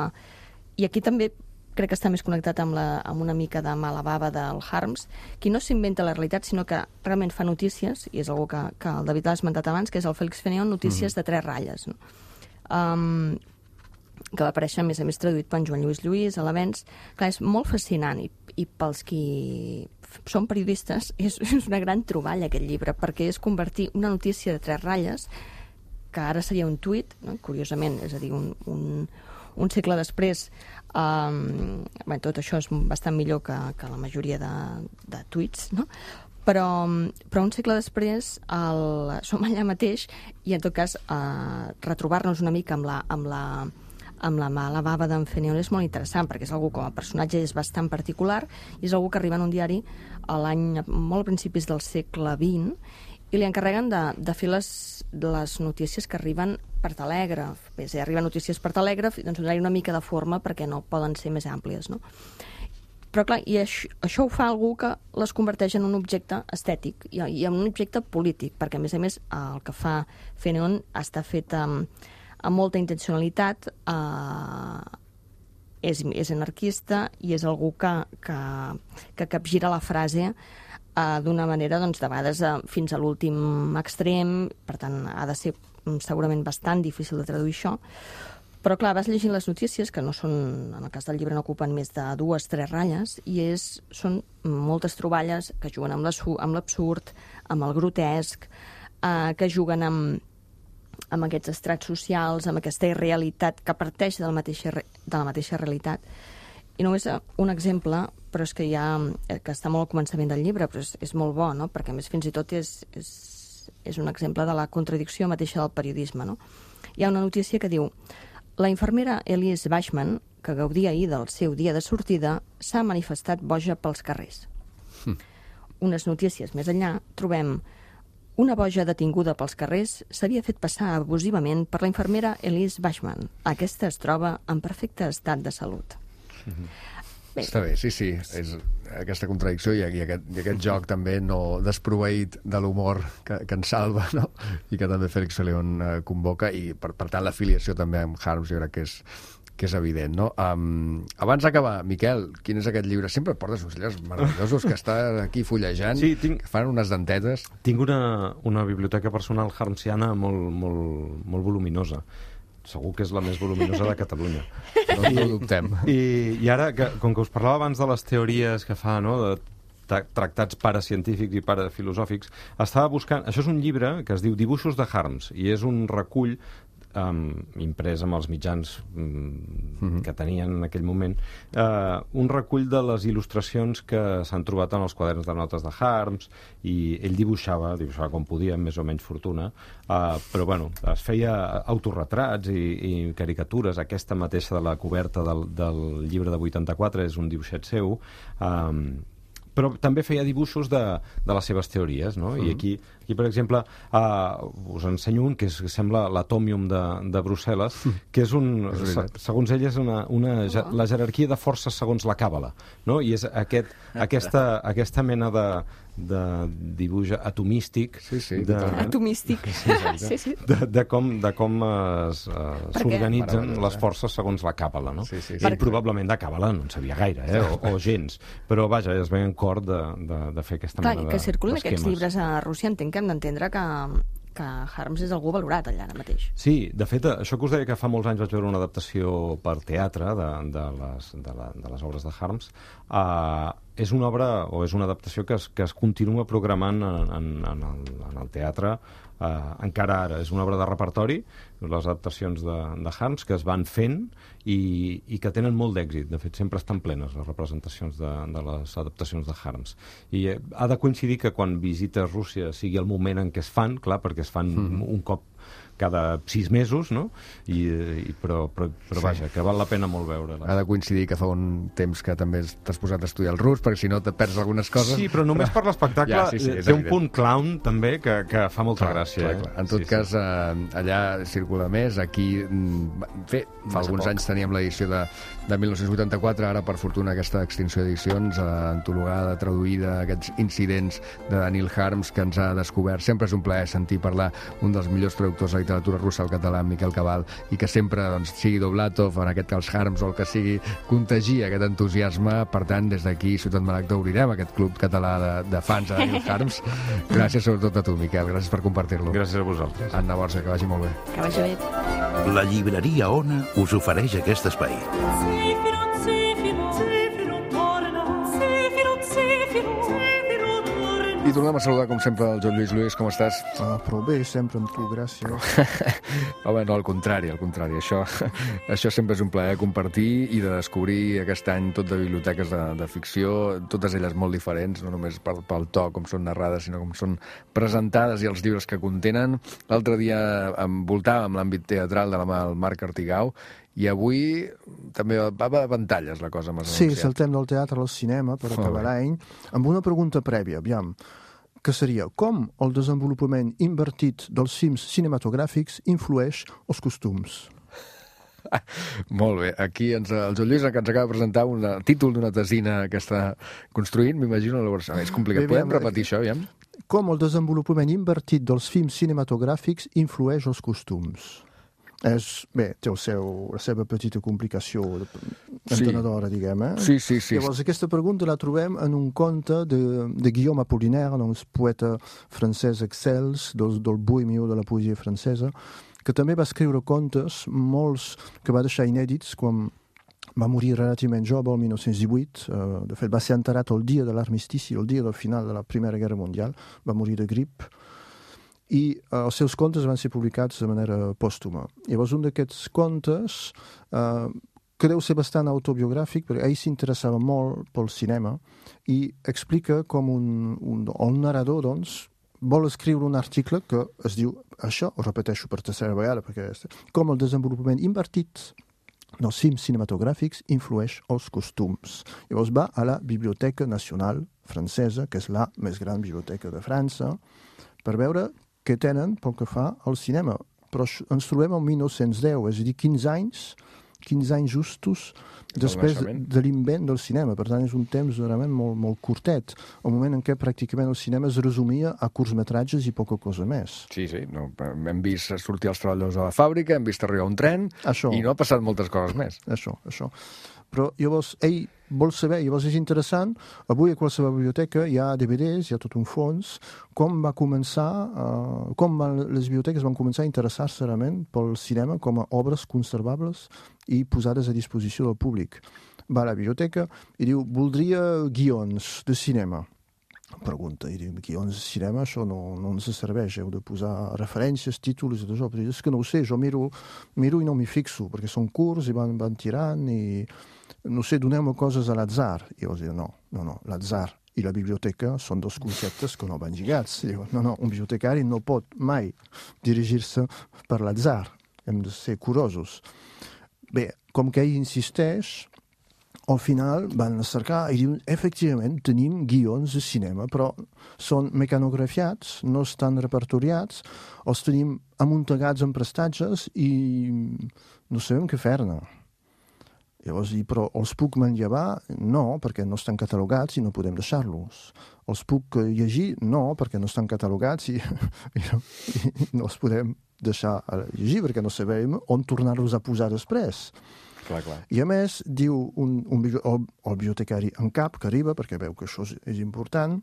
I aquí també crec que està més connectat amb, la, amb una mica de mala bava del Harms, qui no s'inventa la realitat, sinó que realment fa notícies, i és algú que, que el David l'ha esmentat abans, que és el Félix Fénéon, notícies mm. de tres ratlles, no? Um, que va aparèixer, a més a més, traduït per en Joan Lluís Lluís, a l'Avenç. Clar, és molt fascinant, i, i pels qui són periodistes és, és una gran troballa aquest llibre, perquè és convertir una notícia de tres ratlles, que ara seria un tuit, no? Curiosament, és a dir, un, un, un segle després, um, bé, tot això és bastant millor que, que la majoria de, de tuits, no? Però, però un segle després el, som allà mateix i, en tot cas, uh, retrobar-nos una mica amb la, amb la, amb la mala bava d'en Fénéon és molt interessant, perquè és algú, com a personatge, és bastant particular, i és algú que arriba en un diari a l'any, molt a principis del segle vint, i li encarreguen de, de fer les, les notícies que arriben per telègraf. Bé, si arriben notícies per telègraf, doncs donar-hi una mica de forma perquè no poden ser més àmplies, no? Però clar, i això, això ho fa algú que les converteix en un objecte estètic i, i en un objecte polític, perquè, a més a més, el que fa Fénéon està fet amb, amb molta intencionalitat, eh, és, és anarquista i és algú que, que, que capgira la frase Uh, d'una manera, doncs, de vegades uh, fins a l'últim extrem, per tant, ha de ser um, segurament bastant difícil de traduir això, però clar, vas llegint les notícies, que no són, en el cas del llibre no ocupen més de dues, tres ratlles, i és, són moltes troballes que juguen amb l'absurd, amb el grotesc, uh, que juguen amb, amb aquests estrats socials, amb aquesta irrealitat que parteix de la mateixa, de la mateixa realitat. I només un exemple, però és que ja que està molt al començament del llibre, però és, és molt bo, no? Perquè, a més, fins i tot és, és, és un exemple de la contradicció mateixa del periodisme, no? Hi ha una notícia que diu: la infermera Elise Bashman, que gaudia ahir del seu dia de sortida, s'ha manifestat boja pels carrers. Hm. Unes notícies més enllà trobem: una boja detinguda pels carrers s'havia fet passar abusivament per la infermera Elise Bashman. Aquesta es troba en perfecte estat de salut. Bé. Està bé, sí, sí, és aquesta contradicció i, i, aquest, i aquest joc també no desproveït de l'humor que, que ens salva, no? I que també Félix Fénéon eh, convoca, i per, per tant l'afiliació també amb Harms jo crec que és, que és evident, no? Um, abans d'acabar, Miquel, quin és aquest llibre? Sempre portes uns llibres meravellosos que està aquí fullejant, sí, tinc, que fan unes dentetes. Tinc una, una biblioteca personal harmsiana molt, molt, molt voluminosa. Segur que és la més voluminosa de Catalunya. No, no ho dubtem. I, I ara, que, com que us parlava abans de les teories que fa, no?, de tra tractats paracientífics i parafilosòfics, estava buscant... Això és un llibre que es diu Dibuixos de Harms, i és un recull um, imprès amb els mitjans um, mm-hmm. que tenien en aquell moment, uh, un recull de les il·lustracions que s'han trobat en els quaderns de notes de Harms, i ell dibuixava, dibuixava com podia, amb més o menys fortuna, uh, però bueno, es feia autorretrats i, i caricatures. Aquesta mateixa de la coberta del, del llibre de vuitanta-quatre és un dibuixet seu, um, però també feia dibuixos de, de les seves teories, no? I aquí, aquí per exemple, uh, us ensenyo un que, és, que sembla l'atòmium de, de Brussel·les, que és un, se, segons ell, és una, una, oh. la jerarquia de forces segons la càbala, no? I és aquest, aquesta, aquesta mena de, de dibuix atomístic, sí, sí, de, atomístic, sí, sí. De, de com, de com es, uh, s'organitzen les forces segons la càbala, no? Sí, sí, sí. Ell probablement de càbala no en sabia gaire, eh? o, o gens, però vaja, es veien cor de, de, de fer aquesta Clar, mena que de circulen d'esquemes. aquests llibres a Rússia, entenc que hem d'entendre que, que Harms és algú valorat allà ara mateix. Sí, de fet, això que us deia que fa molts anys vaig veure una adaptació per teatre de, de, les, de, la, de les obres de Harms, uh, és una obra o és una adaptació que es, que es continua programant en, en, en, el, en el teatre Uh, encara ara. És una obra de repertori, les adaptacions de, de Harms, que es van fent i, i que tenen molt d'èxit. De fet, sempre estan plenes les representacions de, de les adaptacions de Harms. I eh, ha de coincidir que quan visites Rússia sigui el moment en què es fan, clar, perquè es fan mm-hmm. un cop cada sis mesos, no? I, i, però, però, però vaja, que val la pena molt veure. Ha de coincidir que fa un temps que també t'has posat a estudiar el rus, perquè si no te perds algunes coses. Sí, però només per l'espectacle ja, sí, sí, té un punt clown, també, que, que fa molta clar, gràcia. Clar, eh? clar. En tot sí, cas, sí. Eh, allà circula més. Aquí, bé, fa Massa alguns poc. anys teníem l'edició de, de mil nou-cents vuitanta-quatre, ara, per fortuna, aquesta extinció d'edicions, eh, antologada, traduïda, aquests incidents de Daniel Harms, que ens ha descobert. Sempre és un plaer sentir parlar un dels millors traductors de literatura russa al català, Miquel Cabal, i que sempre, doncs, sigui Doblatov, en aquest cas Harms, o el que sigui, contagia aquest entusiasme. Per tant, des d'aquí, Ciutat Maragda, obrirem aquest club català de, de fans de Daniel Harms. Gràcies sobretot a tu, Miquel, gràcies per compartir-lo. Gràcies a vosaltres. Anna Borja, que vagi molt bé. Que vagi bé. La llibreria Ona us ofereix aquest espai. I tornem a saludar, com sempre, el Joan Lluís. Lluís, com estàs? Ah, però bé, sempre amb tu, gràcies. Home, no, al contrari, al contrari. Això, això sempre és un plaer compartir i de descobrir aquest any tot de biblioteques de, de ficció, totes elles molt diferents, no només pel, pel to, com són narrades, sinó com són presentades i els llibres que contenen. L'altre dia envoltàvem l'àmbit teatral de la mà del Marc Artigau, i avui també va a pantalles la cosa. Sí, saltem del teatre al cinema per acabar l'any, amb una pregunta prèvia, aviam, que seria com el desenvolupament invertit dels films cinematogràfics influeix els costums? Molt bé, aquí ens, el Joan Lluís que ens acaba de presentar un títol d'una tesina que està construint, m'imagino, és complicat. Bé, podem repetir això, aviam? Com el desenvolupament invertit dels films cinematogràfics influeix els costums? És, bé, té el seu, la seva petita complicació entenedora, sí. diguem, eh? Sí, sí, sí. Llavors, aquesta pregunta la trobem en un conte de, de Guillaume Apollinaire, doncs, poeta francès excels, del, del bohemio de la poesia francesa, que també va escriure contes, molts que va deixar inèdits quan va morir relativament jove, el mil nou-cents divuit. Uh, de fet, va ser enterrat el dia de l'armistici, el dia del final de la Primera Guerra Mundial. Va morir de grip. I uh, els seus contes van ser publicats de manera pòstuma. Llavors, un d'aquests contes, uh, que deu ser bastant autobiogràfic, perquè ell s'interessava molt pel cinema, i explica com un, un, el narrador, doncs, vol escriure un article que es diu això, ho repeteixo per tercera vegada, perquè és, com el desenvolupament invertit dels films cinematogràfics influeix els costums. Llavors va a la Biblioteca Nacional Francesa, que és la més gran biblioteca de França, per veure que tenen pel que fa al cinema. Però ens trobem al mil nou-cents deu, és a dir, quinze anys, quinze anys justos després de l'invent del cinema. Per tant, és un temps realment molt, molt curtet, el moment en què pràcticament el cinema es resumia a curtmetratges i poca cosa més. Sí, sí, no, hem vist sortir els treballadors a la fàbrica, hem vist arribar un tren, això. I no ha passat moltes coses més. Això, això. Però llavors ell vol saber, llavors és interessant, avui a qualsevol biblioteca hi ha D V Ds, hi ha tot un fons, com va començar, uh, com van, les biblioteques van començar a interessar-se realment pel cinema com a obres conservables i posades a disposició del públic. Va a la biblioteca i diu, voldria guions de cinema. Pregunta, i diu, guions de cinema, això no, no ens serveix, heu de posar referències, títols i tot això. Però és que no ho sé, jo miro, miro i no m'hi fixo, perquè són curts i van, van tirant i no sé, doneu-me coses a l'atzar. I llavors diu, no, no, no, l'atzar i la biblioteca són dos conceptes que no van lligats. Diu, no, no, un bibliotecari no pot mai dirigir-se per l'atzar. Hem de ser curosos. Bé, com que ell insisteix, al final van cercar i diuen, efectivament, tenim guions de cinema, però són mecanografiats, no estan repertoriats, els tenim amuntegats en prestatges i no sabem què fer-ne. Llavors, i, però els puc manllevar? No, perquè no estan catalogats i no podem deixar-los. Els puc llegir? No, perquè no estan catalogats i, i, no, i no els podem deixar llegir, perquè no sabem on tornar-los a posar després. Clar, clar. I a més, diu un, un, el, el bibliotecari en cap, que arriba, perquè veu que això és, és important,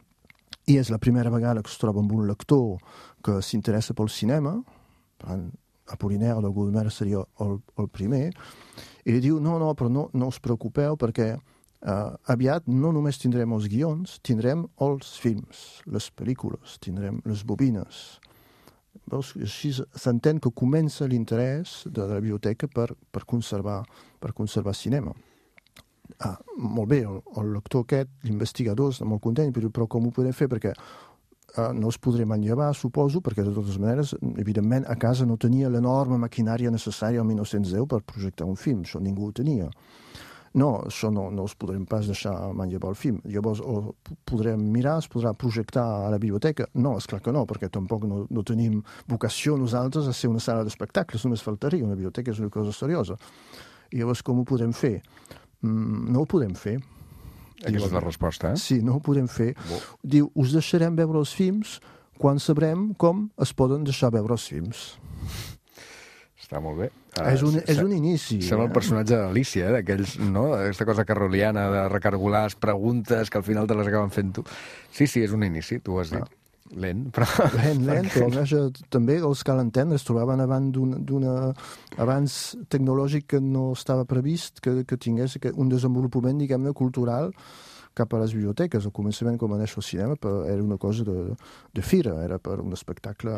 i és la primera vegada que es troba amb un lector que s'interessa pel cinema, per tant, Apollinaire de Gulmer seria el, el primer, i li diu, no, no, però no, no us preocupeu perquè uh, aviat no només tindrem els guions, tindrem els films, les pel·lícules, tindrem les bobines. Veus? Així s'entén que comença l'interès de la biblioteca per, per, conservar, per conservar cinema. Ah, molt bé, el, el lector aquest, l'investigador, està molt content, però com ho podem fer? Perquè Uh, no els podré manllevar, suposo, perquè de totes maneres, evidentment, a casa no tenia l'enorme maquinària necessària al mil nou-cents deu per projectar un film, això ningú ho tenia. No, això no, no els podrem pas deixar manllevar el film. Llavors, o podrem mirar, es podrà projectar a la biblioteca? No, esclar que no, perquè tampoc no, no tenim vocació nosaltres a ser una sala d'espectacles, només faltaria, una biblioteca és una cosa seriosa. I llavors, com ho podem fer? Mm, no ho podem fer. Aquesta és la resposta, eh? Sí, no ho podem fer. Bo. Diu, us deixarem veure els films quan sabrem com es poden deixar veure els films. Està molt bé. Uh, és, un, és un inici. Sembla eh? el personatge d'Alícia, eh? D'aquells, no? Aquesta cosa carroliana de recargolar les preguntes que al final te les acaben fent tu. Sí, sí, és un inici, tu ho has dit. Ah. Lent, però... Lent, lent, però almenys també els cal entendre, es trobaven abans d'una abans tecnològic que no estava previst que, que tingués un desenvolupament, diguem-ne, cultural cap a les biblioteques. Al començament, com va néixer el cinema, era una cosa de, de fira, era per un espectacle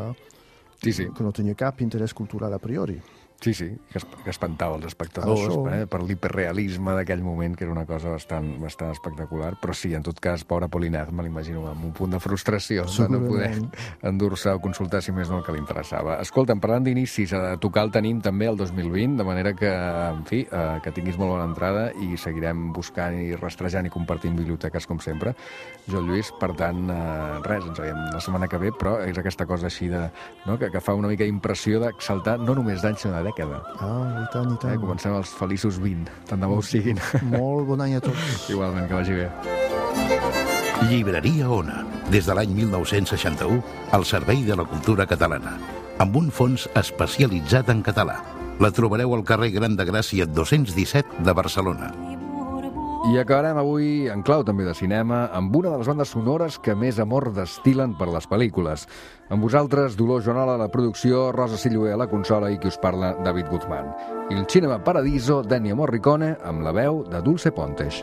sí, sí. que no tenia cap interès cultural a priori. Sí, sí, que espantava els espectadors eh, per l'hiperrealisme d'aquell moment, que era una cosa bastant, bastant espectacular, però sí, en tot cas, pobre Apollinaire, me l'imagino amb un punt de frustració de no poder endur-se o consultar, si més no, el que li interessava. Escolta'm, parlant d'inicis, a tocar el tenim també el dos mil vint, de manera que, en fi, eh, que tinguis molt bona entrada i seguirem buscant i rastrejant i compartint biblioteques, com sempre. Jo, Lluís, per tant, eh, res, ens veiem la setmana que ve, però és aquesta cosa així de, no, que, que fa una mica d'impressió d'exaltar no només d'any, sinó de dècada. Ah, i tant, i tant. Eh, comencem els feliços vint. Tant de bo ho siguin. Molt bon any a tots. Igualment, que vagi bé. Llibreria Ona, des de l'any mil nou-cents seixanta-u, al servei de la cultura catalana, amb un fons especialitzat en català. La trobareu al carrer Gran de Gràcia dos-cents disset de Barcelona. I acabarem avui en clau també de cinema amb una de les bandes sonores que més amor destil·len per les pel·lícules. Amb vosaltres, Dolors Joanola a la producció, Rosa Sillué a la consola i qui us parla, David Guzmán. Il Cinema Paradiso d'Ennio Morricone amb la veu de Dulce Pontes.